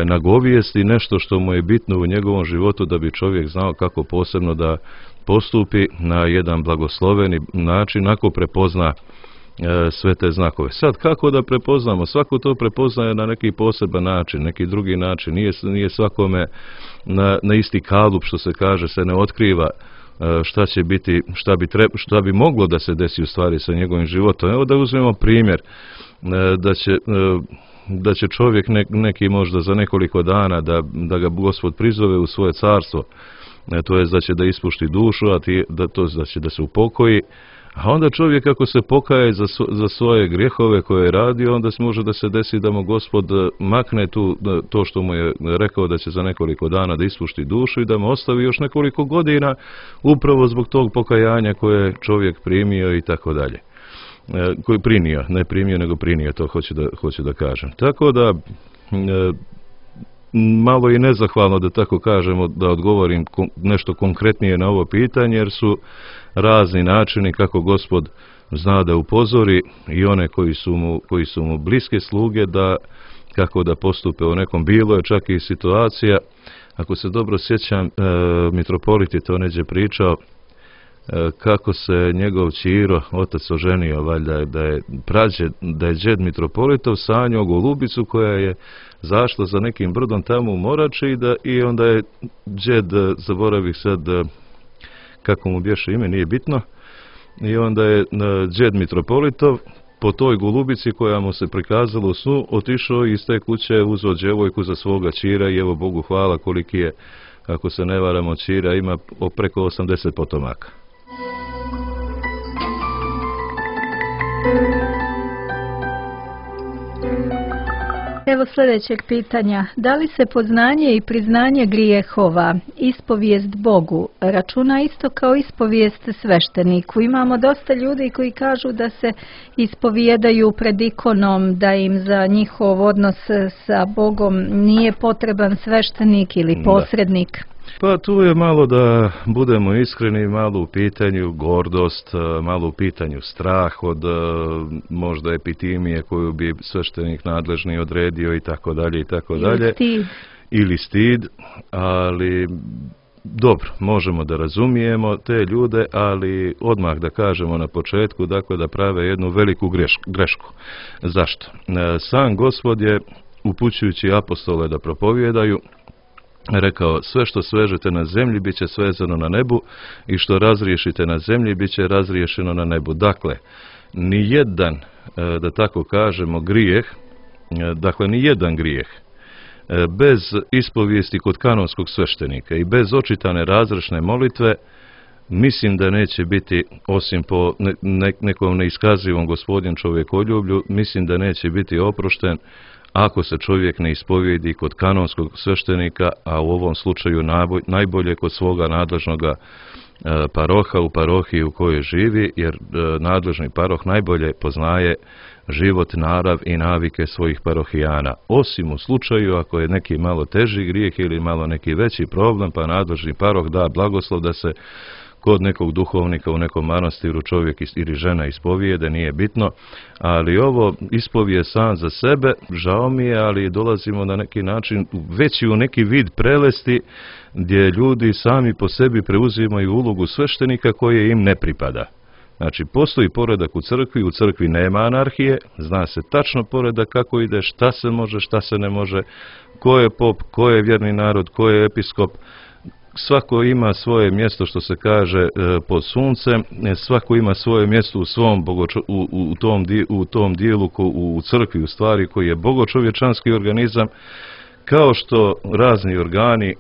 nagovijesti nešto što mu je bitno u njegovom životu, da bi čovjek znao kako posebno da postupi na jedan blagosloveni način ako prepozna sve te znakove. Sad, kako da prepoznamo? Svako to prepoznaje na neki poseban način, neki drugi način. Nije svakome na isti kalup, što se kaže, se ne otkriva šta će biti, šta bi moglo da se desi u stvari sa njegovim životom. Evo da uzmemo primjer da će čovjek neki možda za nekoliko dana da ga Gospod prizove u svoje carstvo, to je da će da ispušti dušu, da će da se upokoji. A onda čovjek ako se pokaje za svoje grijehove koje je radio, onda može da se desi da mu Gospod makne to što mu je rekao da će za nekoliko dana da ispušti dušu i da mu ostavi još nekoliko godina upravo zbog tog pokajanja koje je čovjek primio i tako dalje. Koji primio, ne primio nego primio, to hoću da kažem. Tako da malo i nezahvalno da tako kažemo, da odgovorim nešto konkretnije na ovo pitanje, jer su razni načini kako Gospod zna da upozori i one koji su mu bliske sluge kako da postupe u nekom. Bilo je čak i situacija, ako se dobro sjećam, mitropolit je to neđe pričao, kako se njegov ćiro, otac oženio, valjda da je džed mitropolitov sanjao golubicu koja je zašla za nekim brdom tamo u Morači i onda je džed, zaboravih sad kako mu bješe ime, nije bitno, i onda je džed mitropolitov po toj golubici koja mu se prikazala u snu otišao i iz te kuće uzeo djevojku za svoga ćira i evo Bogu hvala koliki je, ako se ne varamo, ćira ima preko 80 potomaka. Evo sljedećeg pitanja. Da li se poznanje i priznanje grijehova, ispovijest Bogu, računa isto kao ispovijest svešteniku? Imamo dosta ljudi koji kažu da se ispovijedaju pred ikonom, da im za njihov odnos sa Bogom nije potreban sveštenik ili posrednik. Pa tu je malo, da budemo iskreni, malo u pitanju gordost, malo u pitanju strah od možda epitimije koju bi sveštenik nadležni odredio i tako dalje i tako dalje. Ili stid, ali dobro, možemo da razumijemo te ljude, ali odmah da kažemo na početku, dakle, da prave jednu veliku grešku. Zašto? Sam Gospod je, upućujući apostole da propovijedaju, rekao: sve što svežete na zemlji bit će svezano na nebu i što razriješite na zemlji bit će razriješeno na nebu. Dakle, nijedan, da tako kažemo, grijeh, dakle nijedan grijeh bez ispovijesti kod kanonskog sveštenika i bez očitane razrešne molitve, mislim da neće biti, osim po nekom neiskazivom Gospodnjem čovjekoljublju, mislim da neće biti oprošten ako se čovjek ne ispovijedi kod kanonskog sveštenika, a u ovom slučaju najbolje kod svoga nadležnoga paroha u parohiji u kojoj živi, jer nadležni paroh najbolje poznaje život, narav i navike svojih parohijana. Osim u slučaju ako je neki malo teži grijeh ili malo neki veći problem, pa nadležni paroh da blagoslov da se kod nekog duhovnika u nekom manastiru čovjek ili žena ispovijede, nije bitno, ali ovo ispovije sam za sebe, žao mi je, ali dolazimo na neki način već i u neki vid prelesti gdje ljudi sami po sebi preuzimaju ulogu sveštenika koje im ne pripada. Znači, postoji poredak u crkvi nema anarhije, zna se tačno poredak kako ide, šta se može, šta se ne može, ko je pop, ko je vjerni narod, ko je episkop. Svako ima svoje mjesto, što se kaže, pod suncem, svako ima svoje mjesto u svom u tom dijelu u crkvi, u stvari, koji je bogočovječanski organizam, kao što razni organi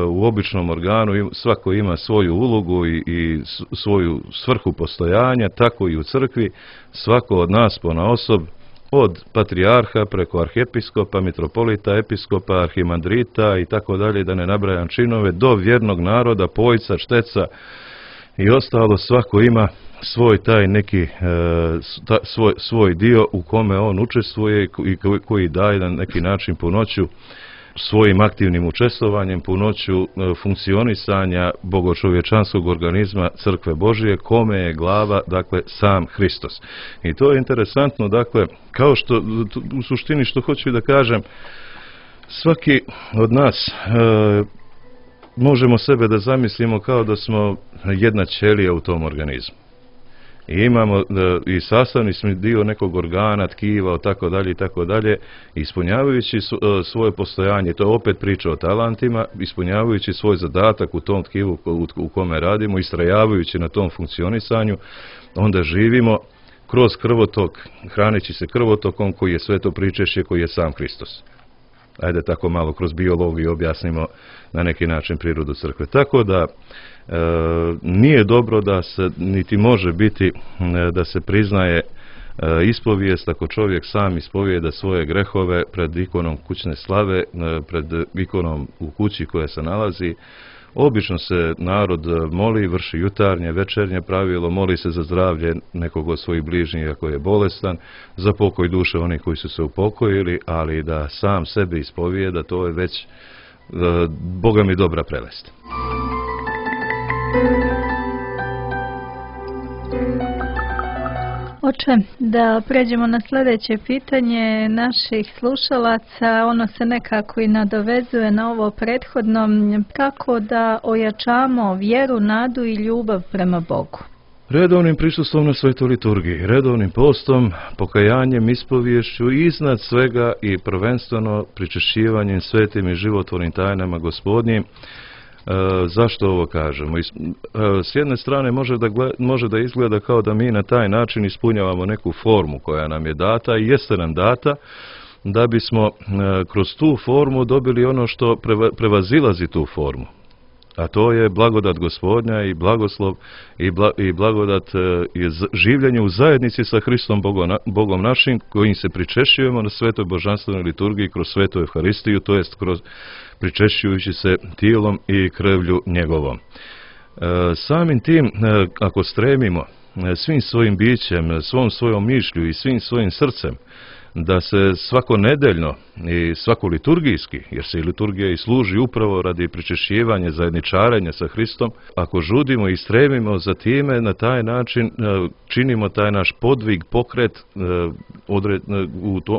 u običnom organu svako ima svoju ulogu i svoju svrhu postojanja, tako i u crkvi svako od nas ponaosob, od patrijarha preko arhiepiskopa, mitropolita, episkopa, arhimandrita i tako dalje, da ne nabrajam činove, do vjernog naroda, pojca, šteca i ostalo, svako ima svoj taj neki svoj dio u kome on učestvuje i koji daje na neki način punoću svojim aktivnim učestvovanjem, punoću funkcionisanja bogočovječanskog organizma Crkve Božije, kome je glava, dakle, sam Hristos. I to je interesantno, dakle, kao što u suštini što hoću da kažem, Svaki od nas možemo sebe da zamislimo kao da smo jedna ćelija u tom organizmu. I imamo i sastavni smo dio nekog organa, tkiva, tako dalje, ispunjavajući svoje postojanje, to je opet priča o talentima, ispunjavajući svoj zadatak u tom tkivu u kome radimo, istrajavajući na tom funkcionisanju, onda živimo kroz krvotok, hraneći se krvotokom koji je sve to pričešće, koji je sam Hristos. Ajde tako malo kroz biologiju objasnimo na neki način prirodu crkve. Tako da nije dobro da se, niti može biti da se priznaje ispovijest ako čovjek sam ispovijeda svoje grehove pred ikonom kućne slave, pred ikonom u kući koja se nalazi. Obično se narod moli, vrši jutarnje, večernje pravilo, moli se za zdravlje nekog od svojih bližnjih ako je bolestan, za pokoj duše onih koji su se upokojili, ali da sam sebe ispovijeda, to je već Boga mi dobra prelest. Oče, da pređemo na sljedeće pitanje naših slušalaca, ono se nekako i nadovezuje na ovo prethodno, kako da ojačamo vjeru, nadu i ljubav prema Bogu? Redovnim prisustvom na svetoj liturgiji, redovnim postom, pokajanjem, ispoviješću i iznad svega i prvenstveno pričešćivanjem svetim i životvornim tajnama Gospodnjim. Zašto ovo kažemo? S jedne strane može da izgleda kao da mi na taj način ispunjavamo neku formu koja nam je data i jeste nam data, da bismo kroz tu formu dobili ono što prevazilazi tu formu. A to je blagodat Gospodnja i blagoslov i blagodat življenja u zajednici sa Hristom Bogom našim, kojim se pričešćujemo na svetoj božanstvenoj liturgiji kroz svetu Evharistiju, to jest kroz pričešćujući se tijelom i krvlju njegovom. Samim tim, ako stremimo svim svojim bićem, svom svojom mišlju i svim svojim srcem, da se svakonedeljno i svako liturgijski, jer se i liturgija i služi upravo radi pričešćivanja, zajedničarenja sa Hristom, ako žudimo i stremimo za time, na taj način činimo taj naš podvig, pokret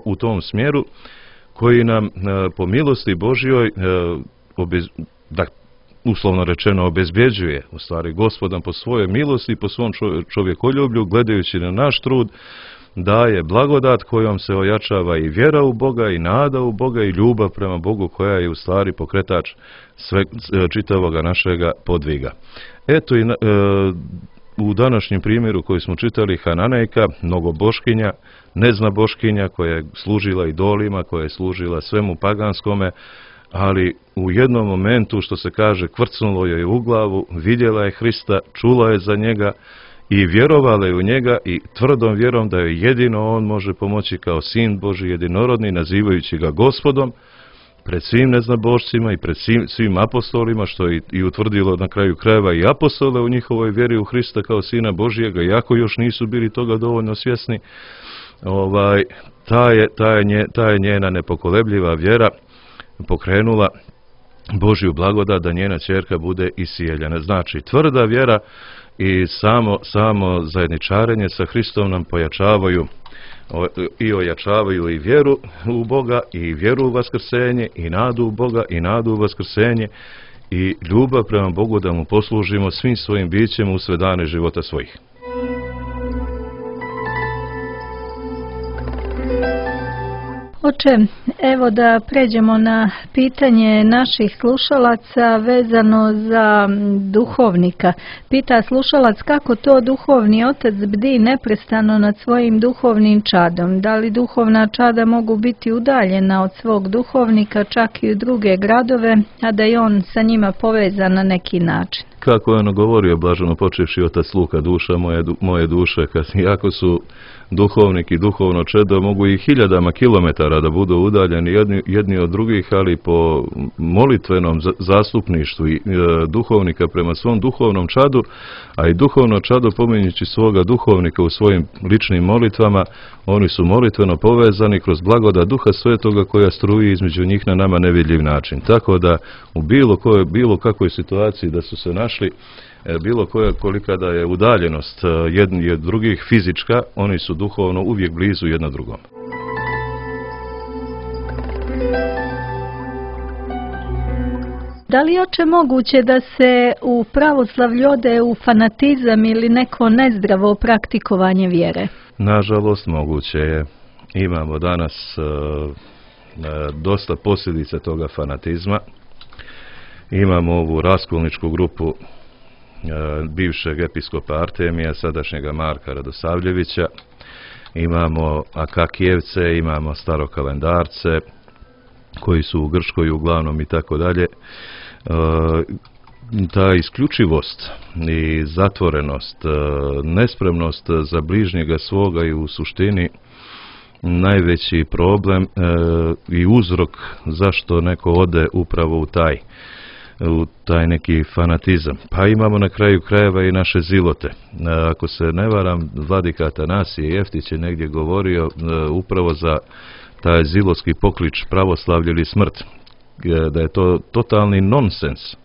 u tom smjeru, koji nam po milosti Božjoj, uslovno rečeno, obezbjeđuje, u stvari Gospodom po svojoj milosti, po svom čovjekoljublju, gledajući na naš trud, daje blagodat kojom se ojačava i vjera u Boga, i nada u Boga, i ljubav prema Bogu, koja je u stvari pokretač čitavoga našega podviga. Eto i u današnjem primjeru koji smo čitali, Hananejka, mnogoboškinja, neznaboškinja, koja je služila idolima, koja je služila svemu paganskome, ali u jednom momentu, što se kaže, kvrcnulo joj u glavu, vidjela je Hrista, čula je za njega i vjerovala je u njega, i tvrdom vjerom da joj jedino on može pomoći kao sin Božji jedinorodni, nazivajući ga Gospodom, pred svim neznabošcima i pred svim apostolima, što je i utvrdilo na kraju krajeva i apostole u njihovoj vjeri u Hrista kao sina Božjega, iako još nisu bili toga dovoljno svjesni. Ta je njena nepokolebljiva vjera pokrenula Božju blagodat da njena ćerka bude isijeljena. Znači, tvrda vjera i samo zajedničarenje sa Hristom nam pojačavaju i ojačavaju i vjeru u Boga, i vjeru u vaskrsenje, i nadu u Boga, i nadu u vaskrsenje, i ljubav prema Bogu da mu poslužimo svim svojim bićem u sve dane života svojih. Oče, evo da pređemo na pitanje naših slušalaca vezano za duhovnika. Pita slušalac kako to duhovni otac bdi neprestano nad svojim duhovnim čadom. Da li duhovna čada mogu biti udaljena od svog duhovnika čak i u druge gradove, a da je on sa njima povezan na neki način? Kako je ono govorio blaženo počevši otac Luka, duša moje duše, iako su duhovnik i duhovno čedo, mogu i hiljadama kilometara da budu udaljeni jedni od drugih, ali po molitvenom zastupništvu i duhovnika prema svom duhovnom čadu, a i duhovno čado pominjući svoga duhovnika u svojim ličnim molitvama, oni su molitveno povezani kroz blagodat Duha Svetoga koja struji između njih na nama nevidljiv način. Tako da u bilo kakvoj situaciji da su se našli, bilo kolika da je udaljenost jedni od drugih fizička, oni su duhovno uvijek blizu jedno drugom. Da li je oče moguće da se u pravoslavlju ode u fanatizam ili neko nezdravo praktikovanje vjere? Nažalost, moguće je. Imamo danas dosta posljedica toga fanatizma. Imamo ovu raskolničku grupu bivšeg episkopa Artemija, sadašnjega Marka Radosavljevića. Imamo Akakijevce, imamo starokalendarce, koji su u Grčkoj uglavnom i tako dalje. Ta isključivost i zatvorenost, nespremnost za bližnjega svoga i u suštini najveći problem i uzrok zašto neko ode upravo u taj neki fanatizam. Pa imamo na kraju krajeva i naše zilote. Ako se ne varam, vladika Atanasije Jeftić je negdje govorio upravo za taj zilotski poklič pravoslavlje ili smrt, da je to totalni nonsens,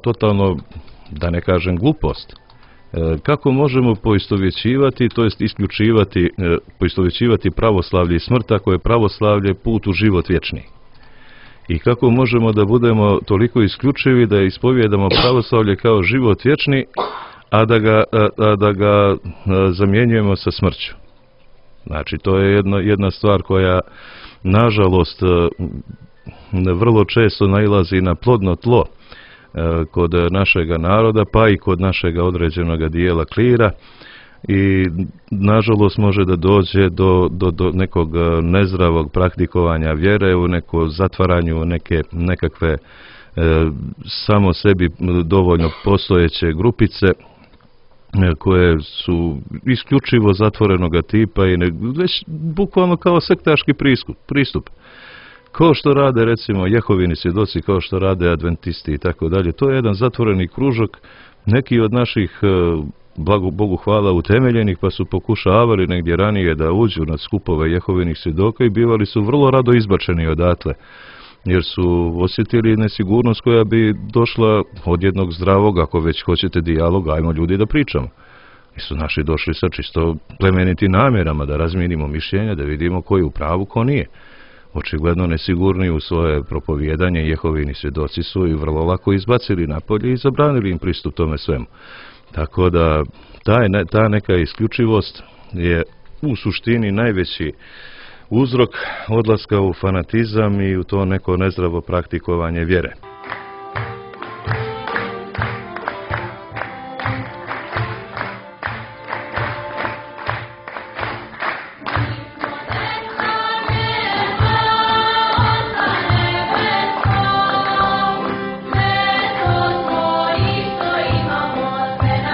totalno, da ne kažem glupost. Kako možemo poistovjećivati, to jest isključivati, poistovjećivati pravoslavlje i smrt ako je pravoslavlje put u život vječni? I kako možemo da budemo toliko isključivi da ispovjedamo pravoslavlje kao život vječni, a da ga zamjenjujemo sa smrću? Znači, to je jedna stvar koja, nažalost, vrlo često nailazi na plodno tlo kod našega naroda, pa i kod našega određenog dijela klira, i nažalost može da dođe do nekog nezdravog praktikovanja vjere, u neko zatvaranju nekakve samo sebi dovoljno postojeće grupice koje su isključivo zatvorenoga tipa i već bukvalno kao sektaški pristup. Kao što rade recimo Jehovini svjedoci, kao što rade adventisti i tako dalje. To je jedan zatvoreni kružok, neki od naših, Bogu hvala, utemeljenih, pa su pokušavali negdje ranije da uđu na skupove Jehovinih svjedoka i bivali su vrlo rado izbačeni odatle, jer su osjetili nesigurnost koja bi došla od jednog zdravog, ako već hoćete dijaloga, ajmo ljudi da pričamo. I su naši došli sa čisto plemenitim namjerama da razmijenimo mišljenja, da vidimo ko je u pravu, ko nije. Očigledno nesigurni u svoje propovijedanje Jehovini svjedoci su i vrlo lako izbacili napolje i zabranili im pristup tome svemu. Tako da ta neka isključivost je u suštini najveći uzrok odlaska u fanatizam i u to neko nezdravo praktikovanje vjere. Be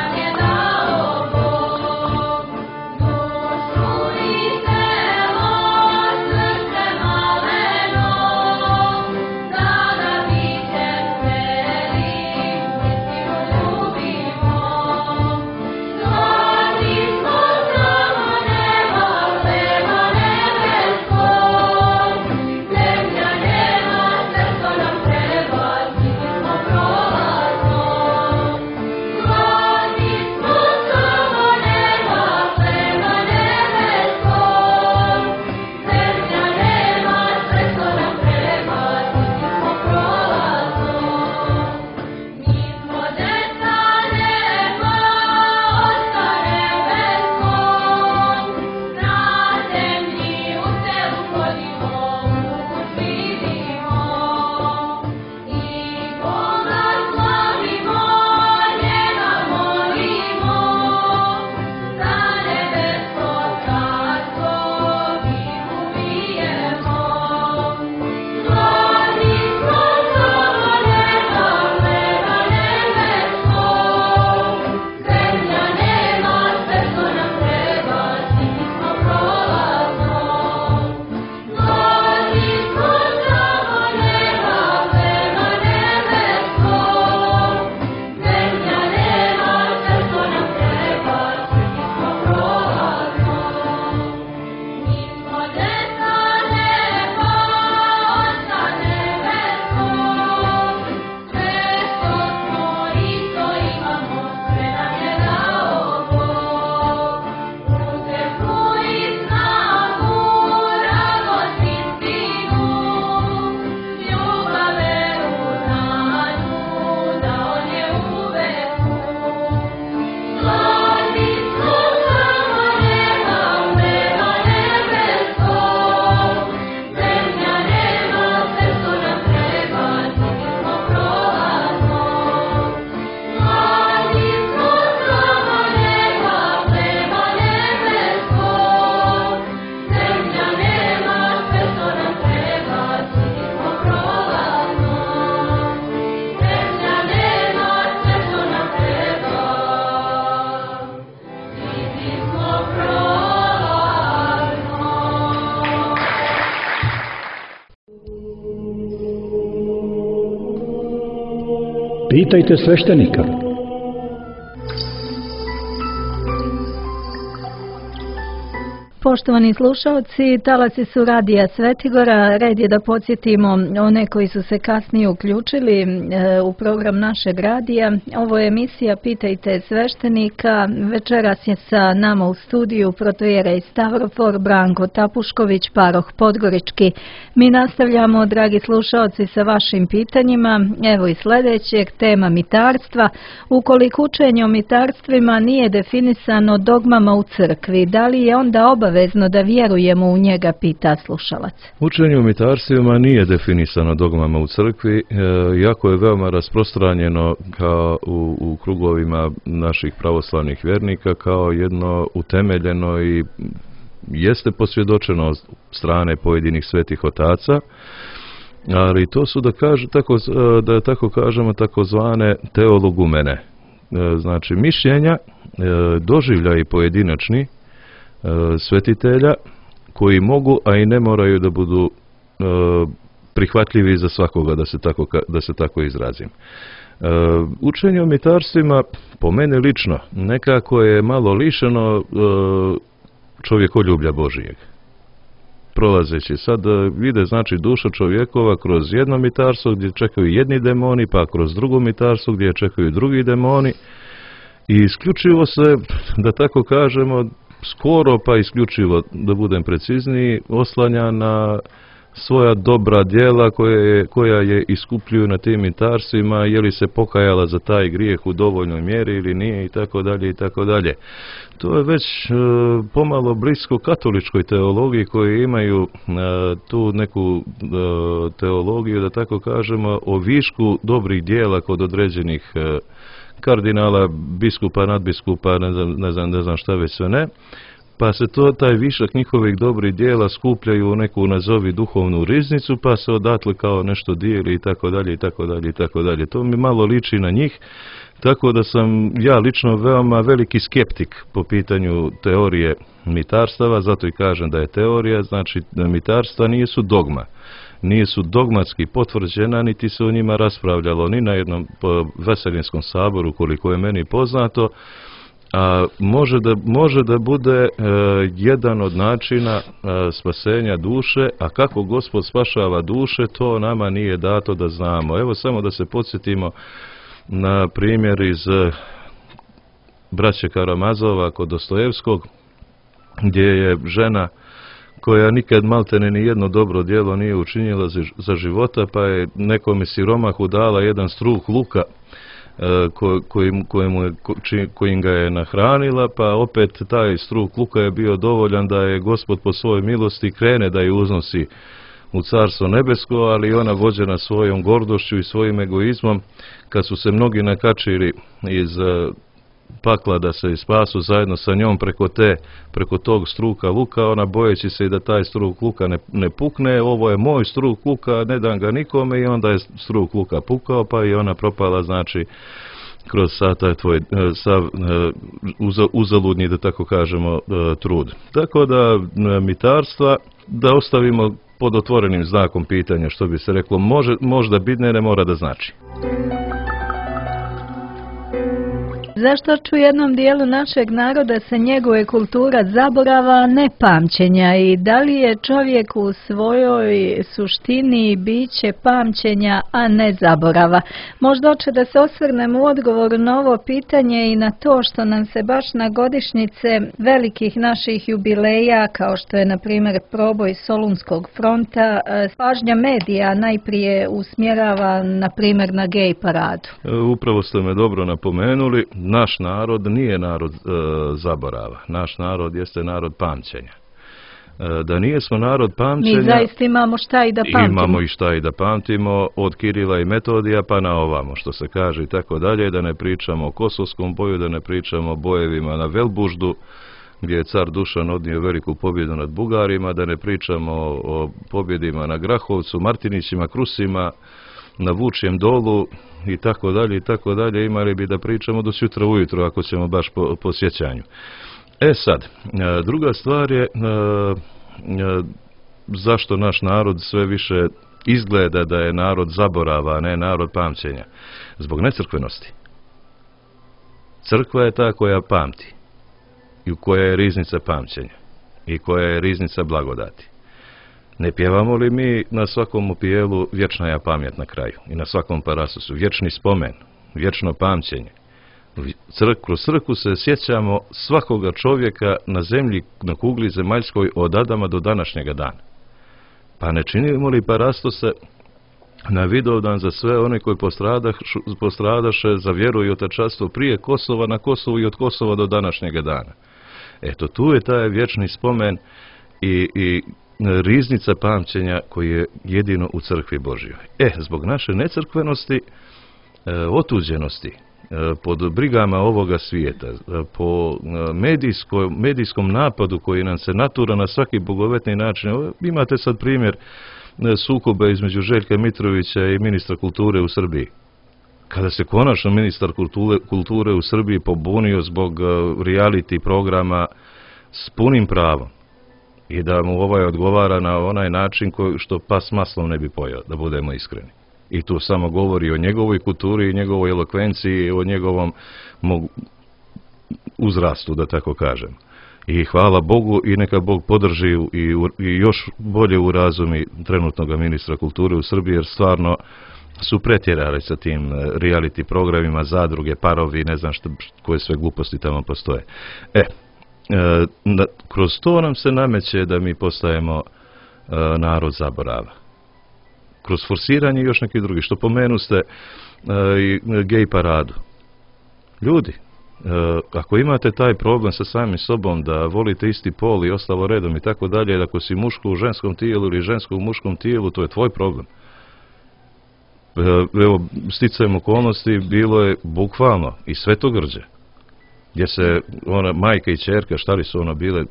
Pitajte sveštenika. Poštovani slušalci, talasi su Radija Svetigora. Red je da podsjetimo one koji su se kasnije uključili u program našeg radija. Ovo je emisija Pitajte sveštenika. Večeras je sa nama u studiju protojera iz Stavrofor Branko Tapušković, paroh Podgorički. Mi nastavljamo, dragi slušalci, sa vašim pitanjima. Evo i sljedećeg, tema mitarstva. Ukoliko učenje o mitarstvima nije definisano dogmama u crkvi, da li je onda obavezno da vjerujemo u njega, pita slušalac. Učenje o mitarstvima nije definisano dogmama u crkvi, iako je veoma rasprostranjeno kao u krugovima naših pravoslavnih vjernika kao jedno utemeljeno i jeste posvjedočeno od strane pojedinih svetih otaca, ali to su da tako kažemo takozvane teologumene, znači mišljenja, doživljaji pojedinačni svetitelja koji mogu, a i ne moraju da budu prihvatljivi za svakoga, da se tako izrazim. Učenje o mitarstvima, po mene lično, nekako je malo lišeno čovjekoljublja Božijeg. Prolazeći sad vide, znači, duša čovjekova kroz jedno mitarstvo gdje čekaju jedni demoni, pa kroz drugo mitarstvo gdje čekaju drugi demoni, i isključivo se, da tako kažemo, skoro pa isključivo, da budem precizniji, oslanja na svoja dobra djela koja je iskupljuju na tim mitarstvima, je li se pokajala za taj grijeh u dovoljnoj mjeri ili nije, i tako dalje i tako dalje. To je već pomalo blisko katoličkoj teologiji, koji imaju tu neku teologiju, da tako kažemo, o višku dobrih djela kod određenih kardinala, biskupa, nadbiskupa, ne znam šta već sve ne, pa se taj višak njihovih dobrih djela skupljaju u neku, nazovi, duhovnu riznicu, pa se odatle kao nešto dijeli, i tako dalje i tako dalje i tako dalje. To mi malo liči na njih, tako da sam ja lično veoma veliki skeptik po pitanju teorije mitarstava, zato i kažem da je teorija, znači da mitarstva nisu dogma. Nisu dogmatski potvrđena, niti se o njima raspravljalo ni na jednom veselinskom saboru, koliko je meni poznato, a može da bude jedan od načina spasenja duše, a kako Gospod spašava duše, to nama nije dato da znamo. Evo samo da se podsjetimo na primjer iz braće Karamazova kod Dostojevskog, gdje je žena koja nikad maltene ni jedno dobro djelo nije učinila za života, pa je nekome siromahu dala jedan struh luka kojim ga je nahranila, pa opet taj struh luka je bio dovoljan da je Gospod po svojoj milosti krene da je uznosi u Carstvo nebesko, ali ona, vođena svojom gordošću i svojim egoizmom, kad su se mnogi nakačili iz pakla da se spasu zajedno sa njom preko tog struka luka, ona, bojeći se i da taj struk luka ne pukne, ovo je moj struk luka, ne dam ga nikome, i onda je struk luka pukao, pa i ona propala, znači, kroz taj tvoj uzaludni, da tako kažemo, trud. Tako da mitarstva da ostavimo pod otvorenim znakom pitanja, što bi se reklo, možda bitne, ne mora da znači. Zašto u jednom dijelu našeg naroda se njeguje kultura zaborava, ne pamćenja, i da li je čovjek u svojoj suštini biće pamćenja, a ne zaborava? Možda hoće da se osvrnemo u odgovoru na ovo pitanje i na to što nam se baš na godišnjice velikih naših jubileja, kao što je na primjer proboj Solunskog fronta, pažnja medija najprije usmjerava na primjer na gej paradu. Upravo ste me dobro napomenuli. Naš narod nije narod zaborava. Naš narod jeste narod pamćenja. Da nijesmo narod pamćenja... Mi zaista imamo šta i da pamtimo. Imamo i šta i da pamtimo, od Kirila i Metodija pa na ovamo, što se kaže, i tako dalje, da ne pričamo o Kosovskom boju, da ne pričamo o bojevima na Velbuždu, gdje je car Dušan odnio veliku pobjedu nad Bugarima, da ne pričamo o pobjedima na Grahovcu, Martinićima, Krusima, na Vučjem dolu, i tako dalje, imali bi da pričamo do sutra ujutro, ako ćemo baš po sjećanju. Sad, druga stvar je zašto naš narod sve više izgleda da je narod zaborava, a ne narod pamćenja? Zbog necrkvenosti. Crkva je ta koja pamti i u koja je riznica pamćenja i koja je riznica blagodati. Ne pjevamo li mi na svakom upijelu vječna je pamjet na kraju i na svakom parasusu, vječni spomen, vječno pamćenje. Kroz crkvu se sjećamo svakoga čovjeka na zemlji, na kugli zemaljskoj od Adama do današnjega dana. Pa ne činimo li parastose na Vidovdan za sve one koji postradaše za vjeru i otačanstvo prije Kosova, na Kosovu i od Kosova do današnjega dana? Eto, tu je taj vječni spomen i riznica pamćenja koji je jedino u crkvi Božjoj. Zbog naše necrkvenosti, otuđenosti, pod brigama ovoga svijeta, po medijskom napadu koji nam se natura na svaki bogovetni način. Imate sad primjer sukoba između Željka Mitrovića i ministra kulture u Srbiji. Kada se konačno ministar kulture u Srbiji pobunio zbog reality programa s punim pravom i da mu ovaj odgovara na onaj način što pas maslom ne bi pojeo, da budemo iskreni. I tu samo govori o njegovoj kulturi i njegovoj elokvenciji, o njegovom uzrastu, da tako kažem. I hvala Bogu i neka Bog podrži i još bolje u razumi trenutnog ministra kulture u Srbiji, jer stvarno su pretjerali sa tim reality programima, zadruge, parovi, ne znam koje sve gluposti tamo postoje. Kroz to nam se nameće da mi postajemo narod zaborava. Kroz forsiranje i još neki drugi, što pomenuste i gej paradu. Ljudi, ako imate taj problem sa samim sobom da volite isti pol i ostalo redom i tako dalje, ako si muško u ženskom tijelu ili žensko u muškom tijelu, to je tvoj problem. Evo, sticajem okolnosti, bilo je bukvalno i Svetogrđe, gdje se ona majka i ćerka,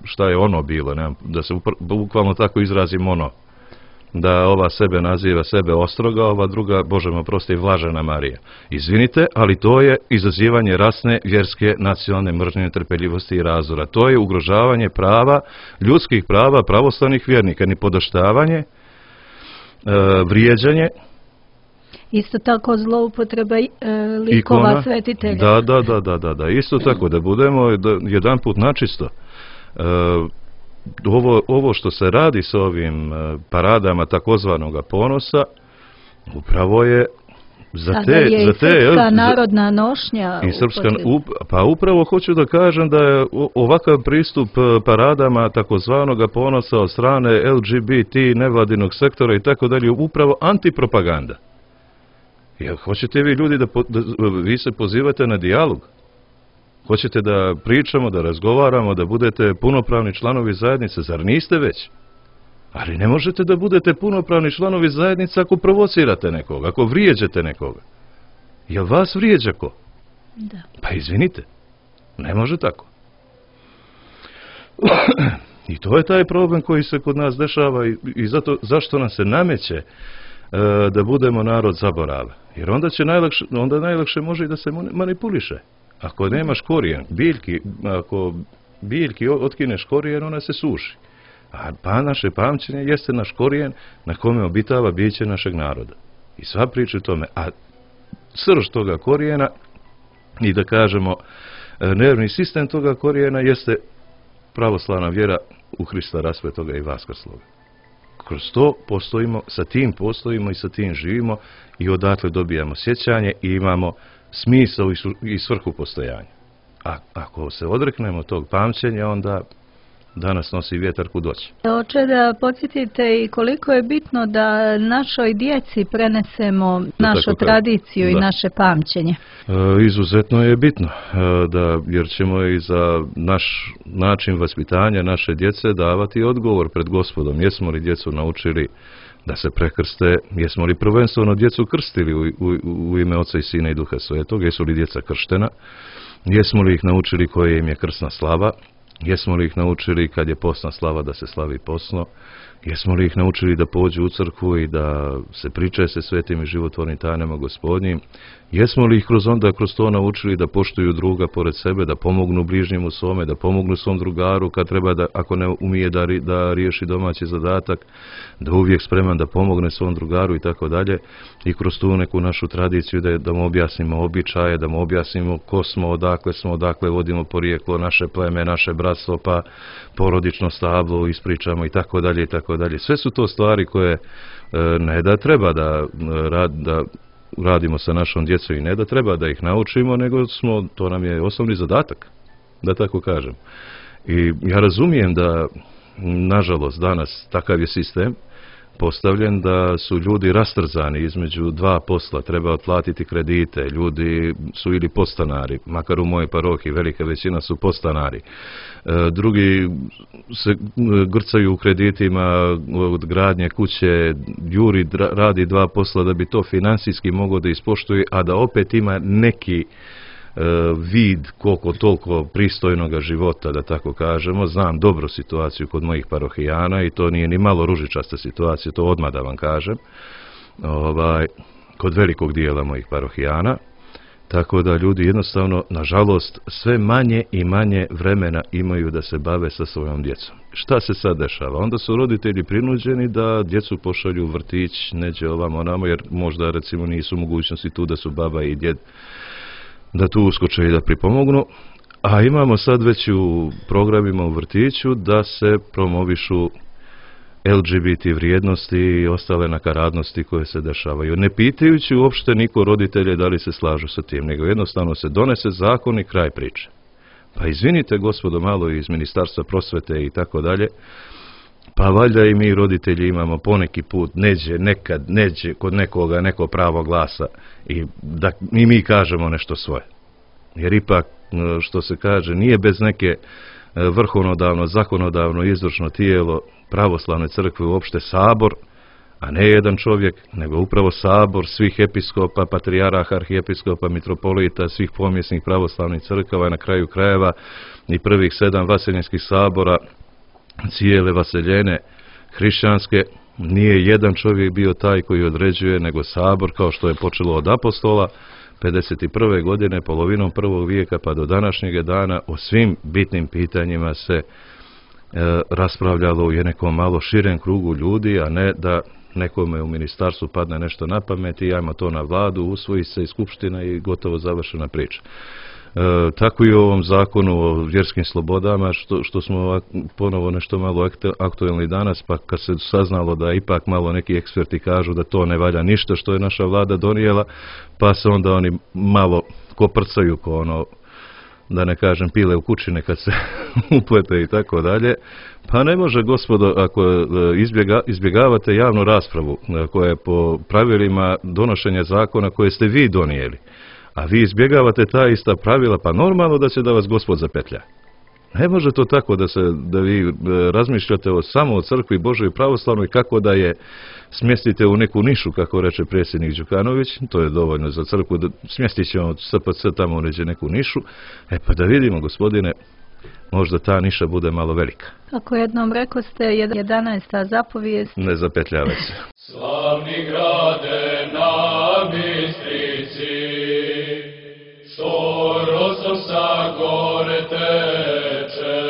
šta je ono bilo, da se bukvalno tako izrazim da ova sebe naziva sebe Ostroga, ova druga, Bože me oprosti, Vlažena Marija. Izvinite, ali to je izazivanje rasne, vjerske, nacionalne mržnje, netrpeljivosti i razora. To je ugrožavanje prava, ljudskih prava pravoslavnih vjernika, nipodaštavanje, vrijeđanje. Isto tako zloupotreba likova svetitelja. Da, isto tako, da budemo jedan put načisto. Ovo što se radi s ovim paradama takozvanoga ponosa, upravo je za te srpska narodna nošnja. Pa upravo hoću da kažem da je ovakav pristup paradama takozvanoga ponosa od strane LGBT, nevladinog sektora i tako dalje, upravo antipropaganda. Jer hoćete vi ljudi vi se pozivate na dijalog? Hoćete da pričamo, da razgovaramo, da budete punopravni članovi zajednice, zar niste već? Ali ne možete da budete punopravni članovi zajednice ako provocirate nekoga, ako vrijeđate nekoga. Jel vas vrijeđa ko? Da. Pa izvinite, ne može tako. I to je taj problem koji se kod nas dešava i zašto nam se nameće da budemo narod zaborava. Jer onda najlakše može i da se manipuliše. Ako nemaš korijen, ako biljki otkineš korijen, ona se suši. A naše pamćenje jeste naš korijen na kome obitava biće našeg naroda. I sva priča o tome. A srž toga korijena i da kažemo nervni sistem toga korijena jeste pravoslavna vjera u Hrista raspetoga i vaskrsloga. Kroz to postojimo, sa tim postojimo i sa tim živimo i odatle dobijamo sjećanje i imamo smisao i svrhu postojanja. A ako se odreknemo tog pamćenja, onda danas nosi vjetar kud doći. Oče, da podsjetite i koliko je bitno da našoj djeci prenesemo našu tradiciju i naše pamćenje. Izuzetno je bitno, jer ćemo i za naš način vaspitanja naše djece davati odgovor pred Gospodom. Jesmo li djecu naučili da se prekrste, jesmo li prvenstveno djecu krstili u ime Oca i Sina i Duha Svetog, jesu li djeca krštena, jesmo li ih naučili koja im je krsna slava, Jesmo li ih naučili kad je postna slava da se slavi postno? Jesmo li ih naučili da pođu u crkvu i da se pričaju se svetim i životvornim tajnama Gospodnjim? Jesmo li ih kroz to naučili da poštuju druga pored sebe, da pomognu bližnjemu svome, da pomognu svom drugaru kad treba da, ako ne umije da riješi domaći zadatak, da uvijek spreman da pomogne svom drugaru i tako dalje. I kroz tu neku našu tradiciju da mu objasnimo običaje, da mu objasnimo ko smo, odakle vodimo porijeklo, naše pleme, naše bratstvo, pa porodično stablo ispričamo i tako dalje i tako dalje. Sve su to stvari koje ne da treba da radimo sa našom djecom i ne da treba da ih naučimo, nego to nam je osnovni zadatak, da tako kažem. I ja razumijem da, nažalost, danas takav je sistem postavljen da su ljudi rastrzani između dva posla, treba otplatiti kredite, ljudi su ili podstanari, makar u mojoj parohiji velika većina su podstanari. Drugi se grcaju u kreditima od gradnje kuće, juri radi dva posla da bi to financijski mogao da ispoštuje, a da opet ima neki vid koliko toliko pristojnoga života, da tako kažemo. Znam dobro situaciju kod mojih parohijana i to nije ni malo ružičasta situacija, to odmah da vam kažem, kod velikog dijela mojih parohijana. Tako da ljudi jednostavno, nažalost, sve manje i manje vremena imaju da se bave sa svojom djecom. Šta se sad dešava? Onda su roditelji prinuđeni da djecu pošalju u vrtić, neđe ovamo onamo, jer možda recimo nisu mogućnosti tu da su baba i djed da tu uskoče i da pripomognu, a imamo sad već u programima u vrtiću da se promovišu LGBT vrijednosti i ostale nakaradnosti koje se dešavaju. Ne pitajući uopšte niko roditelje da li se slažu sa tim, nego jednostavno se donese zakon i kraj priče. Pa izvinite gospodo malo iz Ministarstva prosvete i tako dalje, pa valjda i mi roditelji imamo poneki put, nekad kod nekoga neko pravo glasa i da i mi kažemo nešto svoje. Jer ipak, što se kaže, nije bez neke vrhovnodavno, zakonodavno, izvršno tijelo pravoslavne crkve uopšte sabor, a ne jedan čovjek, nego upravo sabor svih episkopa, patrijaraha, arhijepiskopa, mitropolita, svih pomjesnih pravoslavnih crkava, na kraju krajeva i prvih 7 vaseljenskih sabora, cijele vaseljene hrišćanske. Nije jedan čovjek bio taj koji određuje, nego sabor, kao što je počelo od apostola 51. godine, polovinom 1. vijeka pa do današnjeg dana, o svim bitnim pitanjima se raspravljalo u nekom malo širem krugu ljudi, a ne da nekome u ministarstvu padne nešto na pamet i ajmo to na vladu, usvoji se i skupština i gotovo završena priča. Tako i u ovom zakonu o vjerskim slobodama, što smo ponovo nešto malo aktuelni danas, pa kad se saznalo da ipak malo neki eksperti kažu da to ne valja ništa što je naša vlada donijela, pa se onda oni malo koprcaju ko ono, da ne kažem pile u kućine kad se uplete i tako dalje. Pa ne može, gospodo, ako izbjegavate javnu raspravu koja je po pravilima donošenja zakona koje ste vi donijeli, a vi izbjegavate ta ista pravila, pa normalno da će da vas Gospod zapetlja. Ne može to tako da vi razmišljate samo o crkvi Božoj i pravoslavnoj, kako da je smjestite u neku nišu, kako reče predsjednik Đukanović, to je dovoljno za crkvu, da smjestit ćemo SPC tamo u neku nišu, pa da vidimo, gospodine, možda ta niša bude malo velika. Kako jednom rekao ste, 11. zapovijest. Ne zapetljavaj se. Slavni grade na Bistrici, što rosom sa gore teče,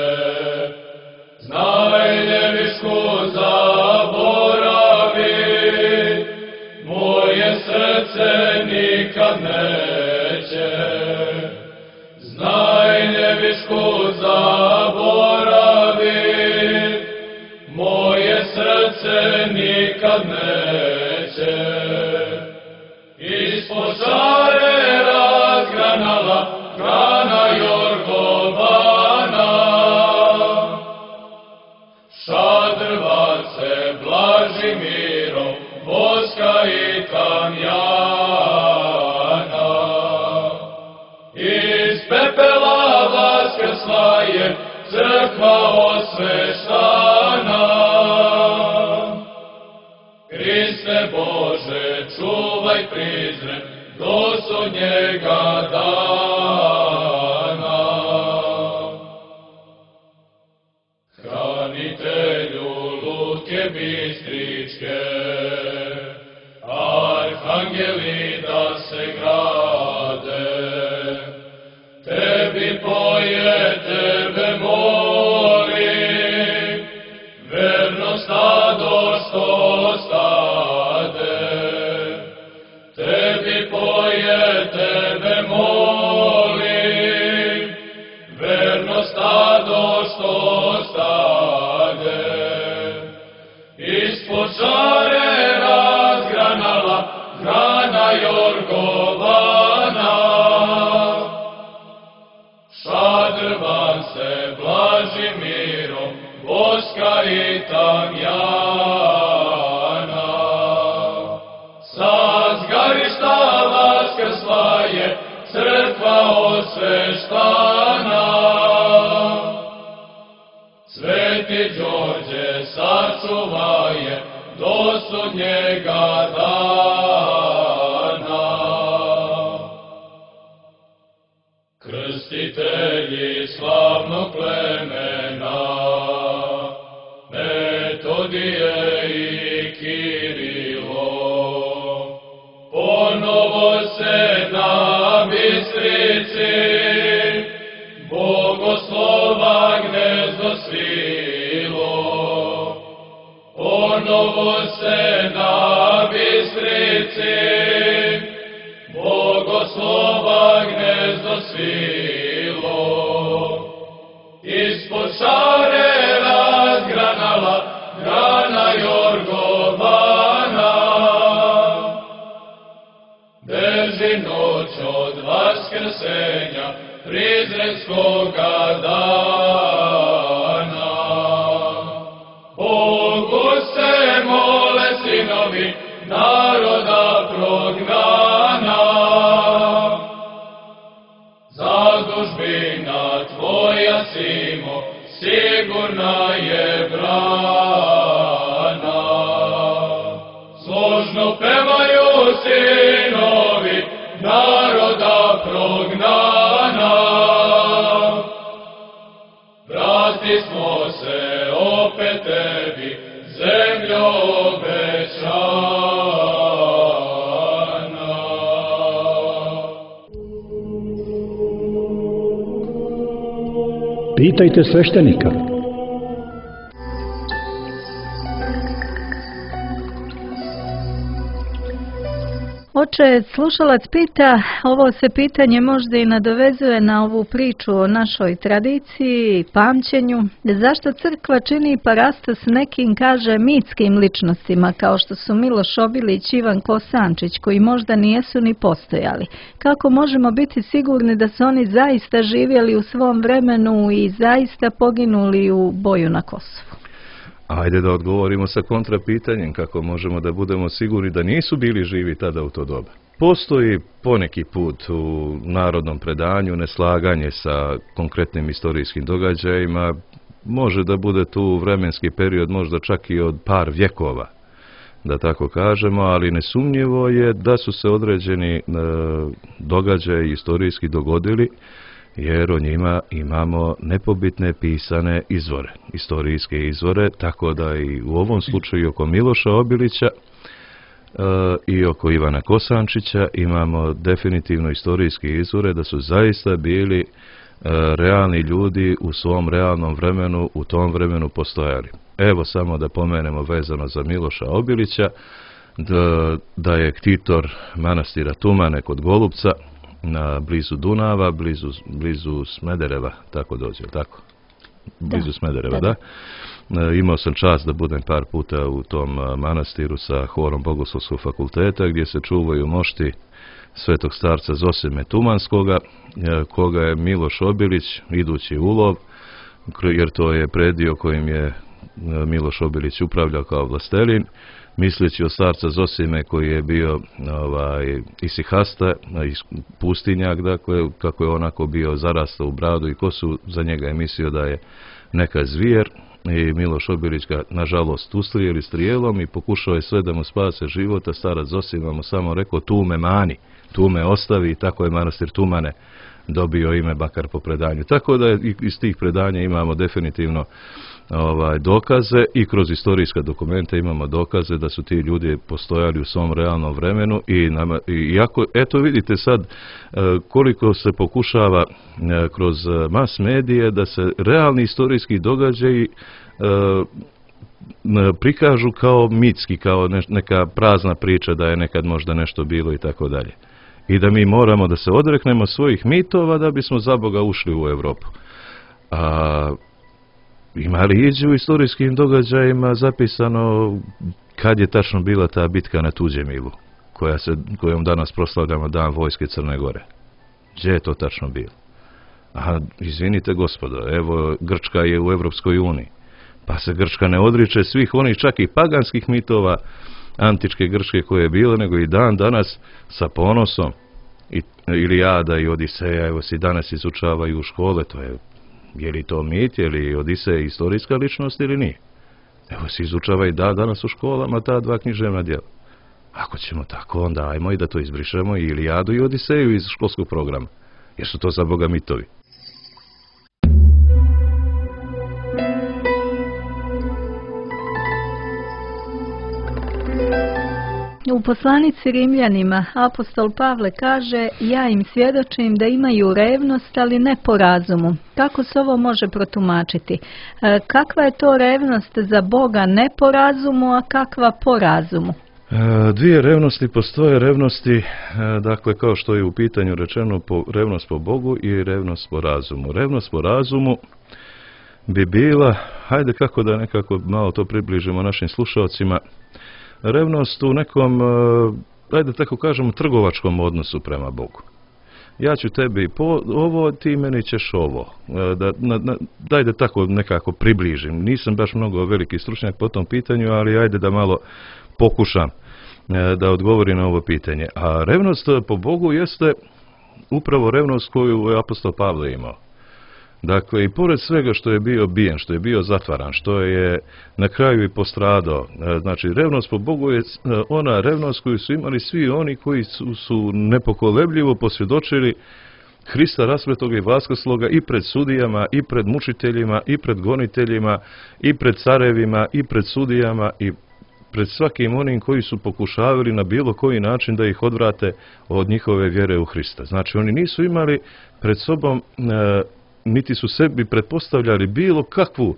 znaj nevišku zaboravi, moje srce nikad neće. Znaj nevišku zaboravi, moje srce nikad neće. Ispod šare razgranala grana Jorgovana, šadrvace Blažimirom, Boska i Tamjana. Iz pepela vaskrsla je crkva osveštana. Hriste Bože, čuvaj prizren do sudnjega dana. Spasitelju lutke bistričke, arhangeli da se grade, tebi poje, tebe moli, verno stado što stade, tebi poje, tebe moli, verno stado što stade, ispod šare razgranala grana Jorgovana, šadrvan se Blažimirom, voska i tamjana, sa zgarišta vaskrsla je crkva osveštana. Sveti Đorđe sačuvaje do sudnjega dana. Krstitelji slavnog plemena, Metodije i Kirilo, ponovo se na Bistrici Bogoslova gnezdo svilo, ponovo se na Bistrici Bogoslova gnezdo svilo, ispod šare razgranala grana Jorgovana, drži noć od vaskrsenja prizrenskoga dana. Bogu se mole sinovi naroda prognana, zadužbina tvoja Simo sigurna je brana. Složno pevaju sinovi naroda prognana, vrati smo se opet tebi, zemljo obećana. Pitajte sveštenika. Oče, slušalac pita, ovo se pitanje možda i nadovezuje na ovu priču o našoj tradiciji i pamćenju. Zašto crkva čini parastos nekim, kaže, mitskim ličnostima, kao što su Miloš Obilić i Ivan Kosančić, koji možda nijesu ni postojali? Kako možemo biti sigurni da su oni zaista živjeli u svom vremenu i zaista poginuli u boju na Kosovu? Ajde da odgovorimo sa kontrapitanjem kako možemo da budemo sigurni da nisu bili živi tada u to doba. Postoji poneki put u narodnom predanju neslaganje sa konkretnim istorijskim događajima. Može da bude tu vremenski period možda čak i od par vjekova, da tako kažemo, ali nesumnjivo je da su se određeni događaji istorijski dogodili, jer o njima imamo nepobitne pisane izvore, istorijske izvore, tako da i u ovom slučaju oko Miloša Obilića i oko Ivana Kosančića imamo definitivno istorijske izvore da su zaista bili realni ljudi u svom realnom vremenu, u tom vremenu postojali. Evo samo da pomenemo vezano za Miloša Obilića, da je ktitor manastira Tumane kod Golupca, na blizu Dunava, blizu Smedereva, tako dođe, tako? Blizu Smedereva, da. Imao sam čast da budem par puta u tom manastiru sa horom Bogoslovskog fakulteta, gdje se čuvaju mošti svetog starca Zosime Tumanskoga, koga je Miloš Obilić, idući u lov, jer to je predio kojim je Miloš Obilić upravljao kao vlastelin, misleći o starca Zosime koji je bio isihasta, pustinjak, dakle, kako je onako bio zarastao u bradu i kosu, za njega je mislio da je neka zvijer i Miloš Obilić ga nažalost ustrijeli strijelom i pokušao je sve da mu spase života. Starac Zosima mu samo rekao tu me mani, tu me ostavi, i tako je manastir Tumane dobio ime bakar po predanju. Tako da iz tih predanja imamo definitivno dokaze i kroz historijska dokumenta imamo dokaze da su ti ljudi postojali u svom realnom vremenu i ako, eto vidite sad koliko se pokušava kroz mas medije da se realni historijski događaji prikažu kao mitski, kao neka prazna priča da je nekad možda nešto bilo i tako dalje. I da mi moramo da se odreknemo svojih mitova da bismo za Boga ušli u Europu. Ima li iđe u historijskim događajima zapisano kad je tačno bila ta bitka na Tuđemilu, kojom danas proslavljamo Dan vojske Crne Gore? Gdje je to tačno bilo? Izvinite gospodo, evo Grčka je u Evropskoj uniji, pa se Grčka ne odriče svih onih čak i paganskih mitova antičke Grčke koje je bilo, nego i dan danas sa ponosom Ilijada i Odiseja, evo se danas izučavaju u škole, je li to mit, je li Odiseja historijska ličnost ili nije? Evo se izučava i danas u školama ta dva književna djela. Ako ćemo tako, onda ajmo i da to izbrišemo i Ilijadu i Odiseju iz školskog programa, jer su to za Boga mitovi. U poslanici Rimljanima apostol Pavle kaže: ja im svjedočim da imaju revnost, ali ne po razumu. Kako se ovo može protumačiti? Kakva je to revnost za Boga ne po razumu, a kakva po razumu? Dvije revnosti postoje, revnosti, dakle kao što je u pitanju rečeno, revnost po Bogu i revnost po razumu. Revnost po razumu bi bila, hajde kako da nekako malo to približimo našim slušalcima, revnost u nekom, ajde tako kažemo, trgovačkom odnosu prema Bogu. Ja ću tebi ovo, ti meni ćeš ovo. Daj da tako nekako približim. Nisam baš mnogo veliki stručnjak po tom pitanju, ali ajde da malo pokušam da odgovorim na ovo pitanje. A revnost po Bogu jeste upravo revnost koju je apostol Pavle imao. Dakle, i pored svega što je bio bijen, što je bio zatvaran, što je na kraju i postradao, znači revnost po Bogu je ona revnost koju su imali svi oni koji su nepokolebljivo posvjedočili Hrista raspetog i vaskrsloga i pred sudijama, i pred mučiteljima, i pred goniteljima, i pred carevima, i pred sudijama, i pred svakim onim koji su pokušavali na bilo koji način da ih odvrate od njihove vjere u Hrista. Znači, oni nisu imali pred sobom niti su sebi pretpostavljali bilo kakvu,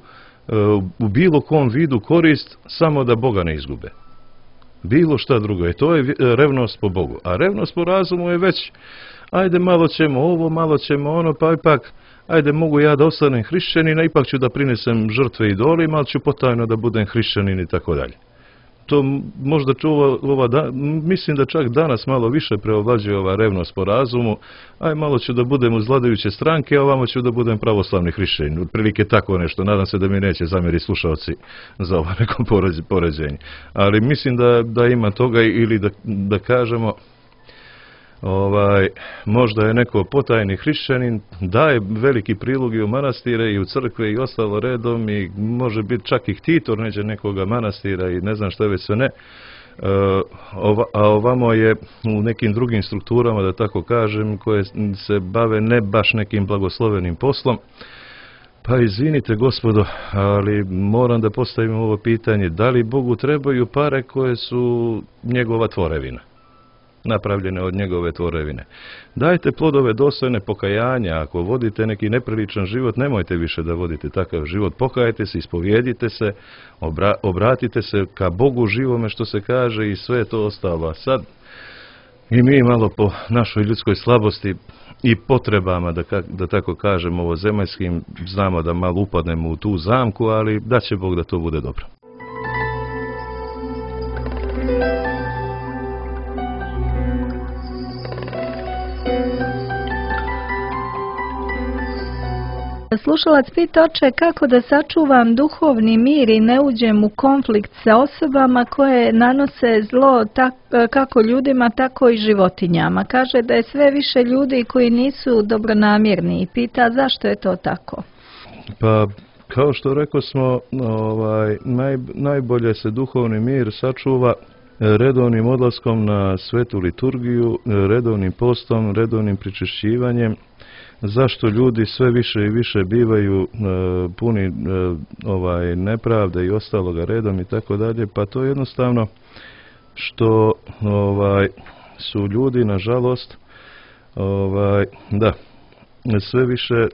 u bilo kom vidu korist, samo da Boga ne izgube. Bilo šta drugo. I to je revnost po Bogu. A revnost po razumu je već, ajde malo ćemo ovo, malo ćemo ono, pa ipak, ajde mogu ja da ostanem hrišćanin, a ipak ću da prinesem žrtve idolima, ali ću potajno da budem hrišćanin i tako dalje. To možda mislim da čak danas malo više preovlađuje ova revnost po razumu, aj malo ću da budem uz vladajuće stranke, a ovamo ću da budem pravoslavni hrišćanin. Otprilike tako nešto, nadam se da mi neće zamjeriti slušalci za ovo neko poređenje. Ali mislim da ima toga, ili da kažemo, možda je neko potajni hrišćanin, daje veliki prilog i u manastire i u crkve i ostalo redom, i može biti čak i ktitor neđe nekoga manastira i ne znam šta već sve ne, a ovamo je u nekim drugim strukturama, da tako kažem, koje se bave ne baš nekim blagoslovenim poslom. Pa izvinite gospodo, ali moram da postavim ovo pitanje: da li Bogu trebaju pare koje su njegova tvorevina, napravljene od njegove tvorevine? Dajte plodove dostojne pokajanja. Ako vodite neki nepriličan život, nemojte više da vodite takav život. Pokajte se, ispovjedite se, obratite se ka Bogu živome, što se kaže, i sve to ostalo. A sad i mi malo po našoj ljudskoj slabosti i potrebama, da tako kažem, ovozemaljskim, znamo da malo upadnemo u tu zamku, ali da će Bog da to bude dobro. Slušalac pita: oče, kako da sačuvam duhovni mir i ne uđem u konflikt sa osobama koje nanose zlo kako ljudima, tako i životinjama. Kaže da je sve više ljudi koji nisu dobronamjerni i pita zašto je to tako. Pa, kao što rekao smo, najbolje se duhovni mir sačuva redovnim odlaskom na svetu liturgiju, redovnim postom, redovnim pričešćivanjem zašto ljudi sve više i više bivaju puni nepravde i ostaloga redom i tako dalje, pa to je jednostavno što su ljudi nažalost sve više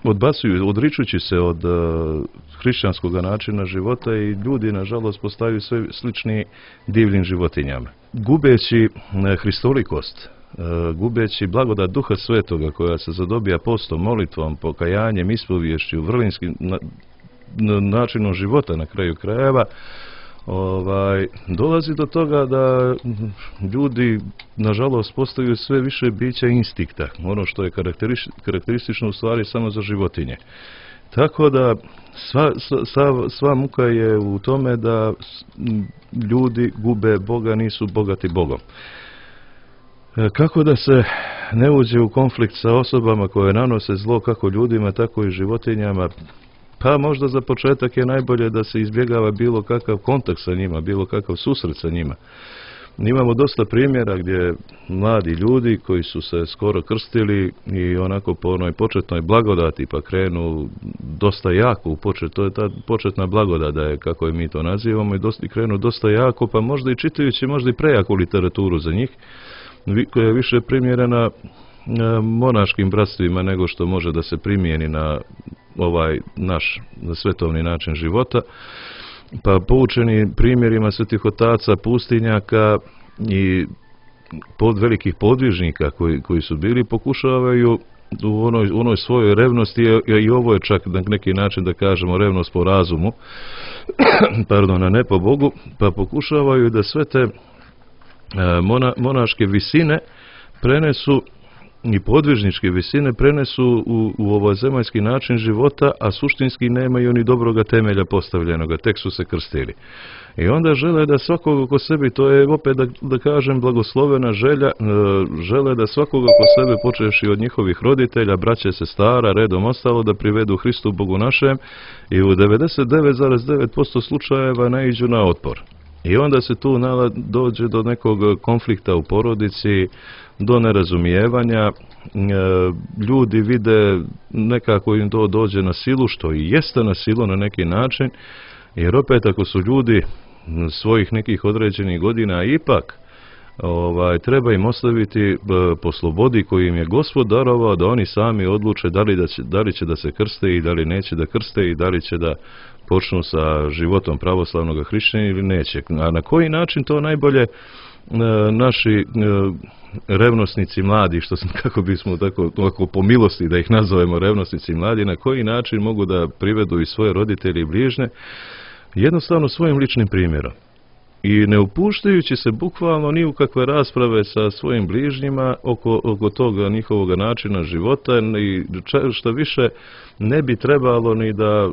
odbacuju, odričući se od hrišćanskog načina života i ljudi nažalost postaju sve slični divljim životinjama. Gubeći hristolikost, gubeći blagodat Duha Svetoga koja se zadobija postom, molitvom, pokajanjem, ispoviješću, vrlinskim načinom života na kraju krajeva, dolazi do toga da ljudi nažalost postaju sve više bića instinkta, ono što je karakteristično u stvari samo za životinje. Tako da sva muka je u tome da ljudi gube Boga, nisu bogati Bogom. Kako da se ne uđe u konflikt sa osobama koje nanose zlo kako ljudima, tako i životinjama? Pa možda za početak je najbolje da se izbjegava bilo kakav kontakt sa njima, bilo kakav susret sa njima. Imamo dosta primjera gdje mladi ljudi koji su se skoro krstili i onako po onoj početnoj blagodati pa krenu dosta jako u počet, to je ta početna blagodat da je, kako je mi to nazivamo, i krenu dosta jako, pa možda i čitajući možda i prejaku literaturu za njih, koja je više primjerena monaškim bratstvima nego što može da se primijeni na ovaj naš svetovni način života. Pa poučeni primjerima svetih otaca, pustinjaka i velikih podvižnika koji su bili, pokušavaju u onoj svojoj revnosti, i ovo je čak na neki način da kažemo revnost po razumu, pardon, a ne po Bogu, pa pokušavaju da sve te monaške visine prenesu i podvižničke visine prenesu u ovaj zemaljski način života, a suštinski nemaju ni dobroga temelja postavljenoga, tek su se krstili. I onda žele da svakog oko sebi, to je opet da kažem blagoslovena želja, žele da svakog oko sebe, počevši od njihovih roditelja, braće, sestara, redom ostalo, da privedu Hristu Bogu našem, i u 99,9% slučajeva naiđu na otpor. I onda se tu dođe do nekog konflikta u porodici, do nerazumijevanja, ljudi vide nekako im to dođe na silu, što i jeste na silu na neki način, jer opet ako su ljudi svojih nekih određenih godina, ipak treba im ostaviti po slobodi koju im je Gospod darovao, da oni sami odluče da li će da se krste i da li neće da krste i da li će da počnu sa životom pravoslavnog hrišćanina ili neće. A na koji način to najbolje naši revnosnici mladi, kako bismo tako po milosti da ih nazovemo revnosnici mladi, na koji način mogu da privedu i svoje roditelje i bližnje? Jednostavno svojim ličnim primjerom. I ne upuštajući se bukvalno ni u kakve rasprave sa svojim bližnjima oko toga njihovog načina života, i što više ne bi trebalo ni da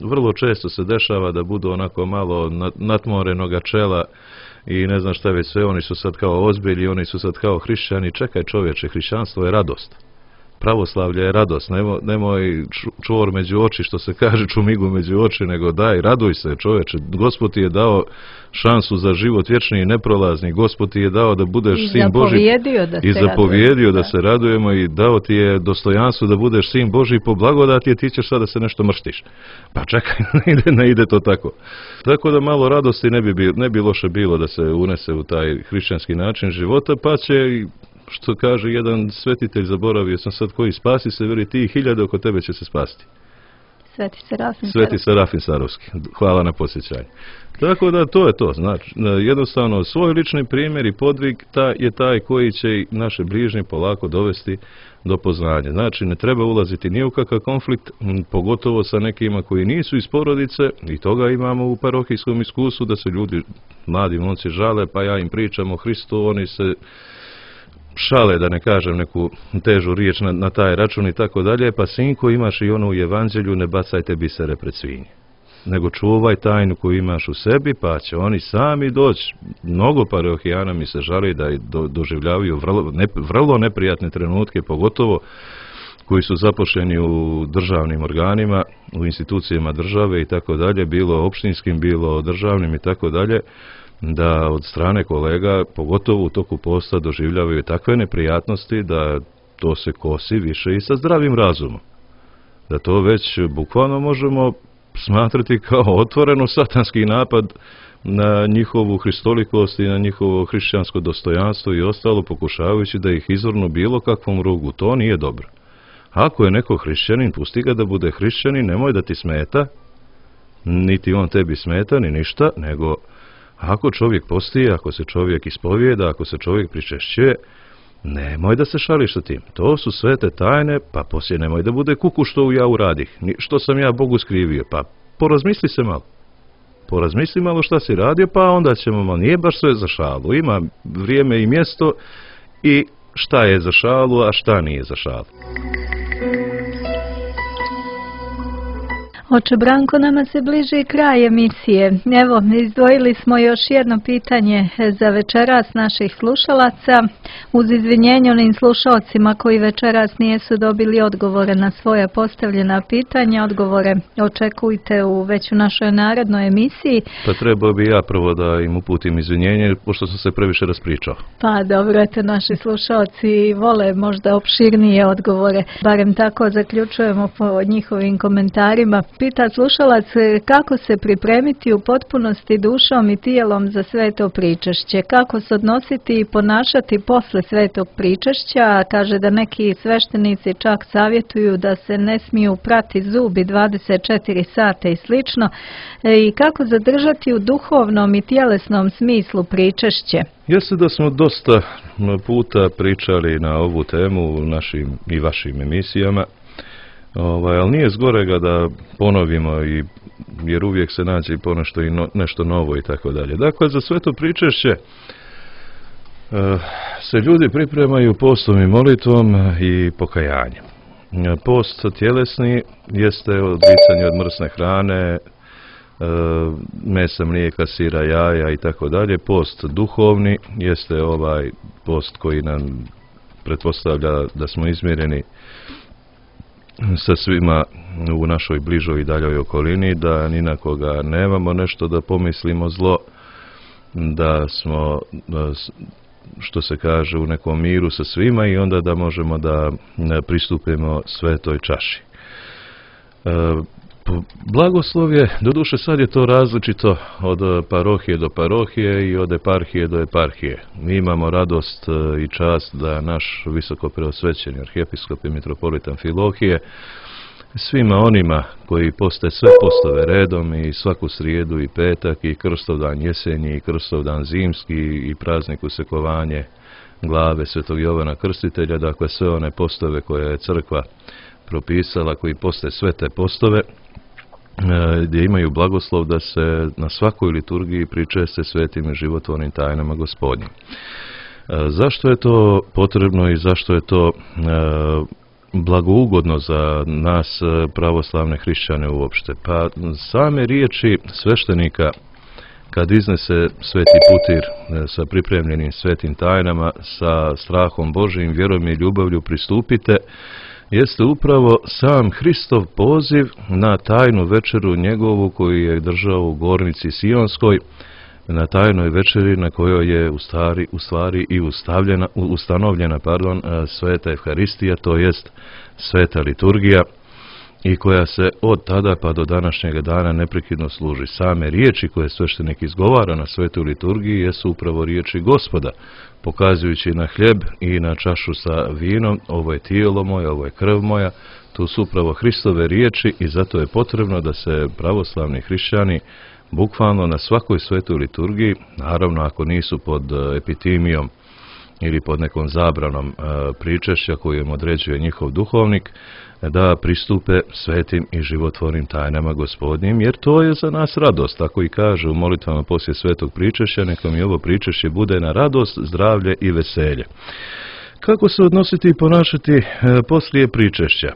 vrlo često se dešava da budu onako malo natmorenoga čela i ne znam šta već sve, oni su sad kao ozbilji, oni su sad kao hrišćani. Čekaj čovječe, hrišćanstvo je radost. Pravoslavlje je radost, nemoj čvor među oči, što se kaže, čumigu među oči, nego daj, raduj se čovječe. Gospod ti je dao šansu za život vječni i neprolazni, Gospod ti je dao da budeš sin Boži i zapovjedio da se radujemo, i dao ti je dostojanstvo da budeš sin Boži po blagodati, a ti ćeš sad da se nešto mrštiš. Pa čekaj, ne ide to tako. Tako da malo radosti ne bi loše bilo da se unese u taj hrišćanski način života, pa će, što kaže jedan svetitelj, zaboravio sam sad koji, spasi se, veli ti, 1000 oko tebe će se spasti. Sveti Serafin Sarovski. Hvala na podsjećanju. Tako da to je to. Znači, jednostavno svoj lični primjer i podvig je taj koji će naše bližnje polako dovesti do poznanja. Znači, ne treba ulaziti ni u kakav konflikt, pogotovo sa nekima koji nisu iz porodice, i toga imamo u parohijskom iskustvu, da se ljudi, mladi momci, žale, pa ja im pričam o Hristu, oni se šale, da ne kažem neku težu riječ na taj račun i tako dalje, pa sinko, imaš i ono u evanđelju, ne bacajte bisere pred svinje, nego čuvaj tajnu koju imaš u sebi, pa će oni sami doći. Mnogo parohijana mi se žali da doživljavaju vrlo neprijatne trenutke, pogotovo koji su zaposleni u državnim organima, u institucijama države i tako dalje, bilo opštinskim, bilo državnim i tako dalje, da od strane kolega, pogotovo u toku posta, doživljavaju takve neprijatnosti da to se kosi više i sa zdravim razumom. Da to već bukvalno možemo smatrati kao otvoreno satanski napad na njihovu hristolikost i na njihovo hrišćansko dostojanstvo i ostalo, pokušavajući da ih izvrnu bilo kakvom rugu. To nije dobro. Ako je neko hrišćanin, pusti ga da bude hrišćanin, nemoj da ti smeta, niti on tebi smeta, ni ništa, nego ako čovjek posti, ako se čovjek ispovijeda, ako se čovjek pričešćuje, nemoj da se šališ sa tim. To su svete tajne, pa poslije nemoj da bude kuku što ja uradih, što sam ja Bogu skrivio, pa porazmisli se malo. Porazmisli malo šta si radio, pa onda ćemo malo, nije baš sve za šalu. Ima vrijeme i mjesto i šta je za šalu, a šta nije za šalu. Oče Branko, nama se bliži kraj emisije. Evo, izdvojili smo još jedno pitanje za večeras naših slušalaca. Uz izvinjenje onim slušalcima koji večeras nijesu dobili odgovore na svoja postavljena pitanja, odgovore očekujte već u našoj narednoj emisiji. Pa trebao bi ja prvo da im uputim izvinjenje, pošto sam se previše raspričao. Pa dobro, eto, naši slušalci vole možda opširnije odgovore. Barem tako zaključujemo po njihovim komentarima. Pita slušalac kako se pripremiti u potpunosti dušom i tijelom za sveto pričešće, kako se odnositi i ponašati posle svetog pričešća. Kaže da neki sveštenici čak savjetuju da se ne smiju prati zubi 24 sata i slično, i kako zadržati u duhovnom i tjelesnom smislu pričešće. Jeste da smo dosta puta pričali na ovu temu u našim i vašim emisijama, ali nije zgorega da ponovimo, jer uvijek se nađe i ponešto i nešto novo i tako dalje. Dakle, za sveto pričešće se ljudi pripremaju postom i molitvom i pokajanjem. Post tjelesni jeste odricanje od mrsne hrane, mesa, mlijeka, sira, jaja i tako dalje. Post duhovni jeste ovaj post koji nam pretpostavlja da smo izmireni sa svima u našoj bližoj i daljoj okolini, da ni na koga nemamo nešto da pomislimo zlo, da smo, što se kaže, u nekom miru sa svima i onda da možemo da pristupimo svetoj čaši. Blagoslov je, doduše sad je to različito od parohije do parohije i od eparhije do eparhije. Mi imamo radost i čast da naš visoko preosvećeni arhijepiskop i mitropolitan Filohije svima onima koji poste sve postove redom i svaku srijedu i petak i Krstovdan jesenji i Krstovdan zimski i praznik usekovanje glave Svetog Jovana Krstitelja, dakle sve one postove koje je crkva propisala, koji poste sve te postove, gdje imaju blagoslov da se na svakoj liturgiji pričeste svetim i životvornim tajnama Gospodnjim. Zašto je to potrebno i zašto je to blagougodno za nas pravoslavne hrišćane uopšte? Pa same riječi sveštenika kad iznese sveti putir sa pripremljenim svetim tajnama, sa strahom Božijim, vjerom i ljubavlju pristupite, jeste upravo sam Hristov poziv na tajnu večeru njegovu koju je držao u Gornici Sionskoj, na tajnoj večeri na kojoj je u stvari i ustanovljena sveta Evharistija, to jest sveta liturgija, i koja se od tada pa do današnjega dana neprekidno služi. Same riječi koje sveštenik izgovara na svetoj liturgiji jesu upravo riječi Gospoda, pokazujući na hljeb i na čašu sa vinom: ovo je tijelo moje, ovo je krv moja. Tu su upravo Hristove riječi i zato je potrebno da se pravoslavni hrišćani bukvalno na svakoj svetoj liturgiji, naravno ako nisu pod epitimijom ili pod nekom zabranom pričešća koju im određuje njihov duhovnik, da pristupe svetim i životvornim tajnama Gospodnjim, jer to je za nas radost. Tako i kaže u molitvama poslije svetog pričešća: neka mi ovo pričešće bude na radost, zdravlje i veselje. Kako se odnositi i ponašati poslije pričešća?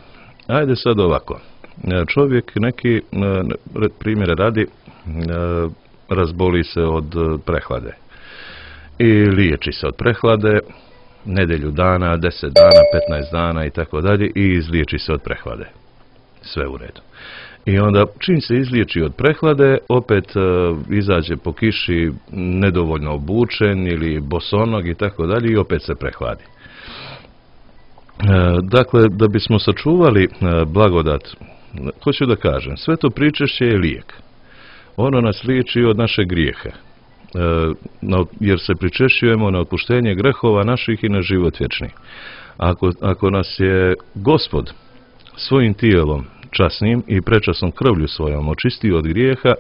Ajde sad ovako. Čovjek neki, primjere radi, razboli se od prehlade i liječi se od prehlade nedjelju dana, 10 dana, 15 dana i tako dalje i izliječi se od prehlade. Sve u redu. I onda čim se izliječi od prehlade, opet izađe po kiši nedovoljno obučen ili bosonog i tako dalje i opet se prehladi. Dakle, da bismo sačuvali blagodat, hoću da kažem, sve to pričešće je lijek. Ono nas liječi od naše grijeha, jer se pričešćujemo na otpuštenje grehova naših i na život vječni. Ako nas je Gospod svojim tijelom časnim i prečasnom krvlju svojom očistio od grijeha,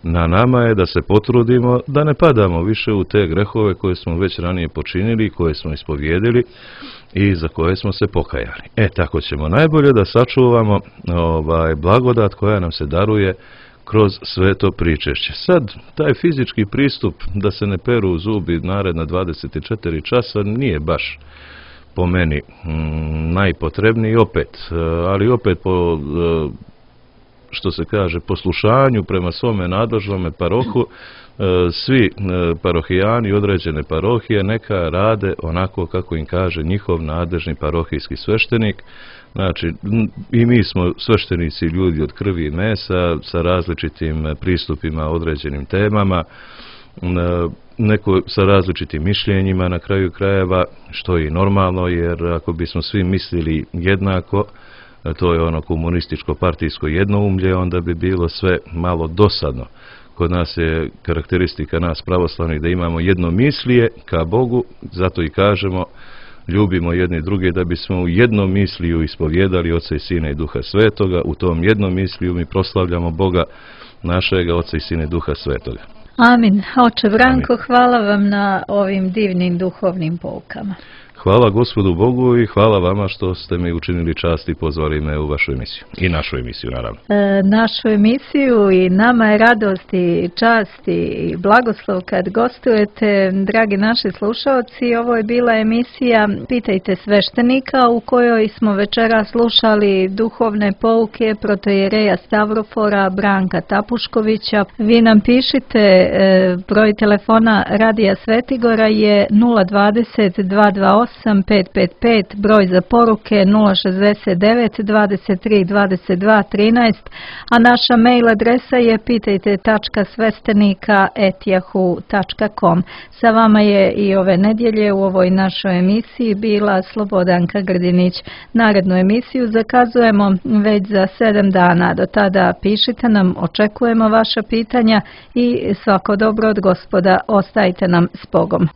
na nama je da se potrudimo da ne padamo više u te grehove koje smo već ranije počinili, koje smo ispovjedili i za koje smo se pokajali. Tako ćemo najbolje da sačuvamo blagodat koja nam se daruje kroz sveto pričešće. Sad, taj fizički pristup da se ne peru zubi naredna 24 časa nije baš po meni najpotrebniji ali opet po, što se kaže, poslušanju prema svome nadležnome parohu, svi parohijani određene parohije neka rade onako kako im kaže njihov nadležni parohijski sveštenik. Znači, i mi smo sveštenici ljudi od krvi i mesa sa različitim pristupima određenim temama, neko sa različitim mišljenjima na kraju krajeva, što je normalno, jer ako bismo svi mislili jednako, to je ono komunističko partijsko jednoumlje, onda bi bilo sve malo dosadno. Kod nas je karakteristika nas pravoslavnih da imamo jednomislije ka Bogu, zato i kažemo ljubimo jedni druge, da bismo u jednom misliju ispovjedali Oca i Sina i Duha Svetoga. U tom jednom misliju mi proslavljamo Boga našega, Oca i Sina i Duha Svetoga. Amin. Oče Branko, hvala vam na ovim divnim duhovnim poukama. Hvala Gospodu Bogu i hvala vama što ste mi učinili čast i pozvali me u vašu emisiju. I našu emisiju, naravno. Našu emisiju i nama je radost i čast i blagoslov kad gostujete, dragi naši slušalci. Ovo je bila emisija Pitajte sveštenika, u kojoj smo večera slušali duhovne pouke protoijereja Stavrofora Branka Tapuškovića. Vi nam pišite, broj telefona Radija Svetigora je 020 228 555, broj za poruke 069 23 22 13, a naša mail adresa je pitajte.svestenika@yahoo.com. Sa vama je i ove nedjelje u ovoj našoj emisiji bila Slobodanka Grdinić. Narednu emisiju zakazujemo već za 7 dana. Do tada pišite nam, očekujemo vaša pitanja i svako dobro od Gospoda. Ostajte nam s Bogom.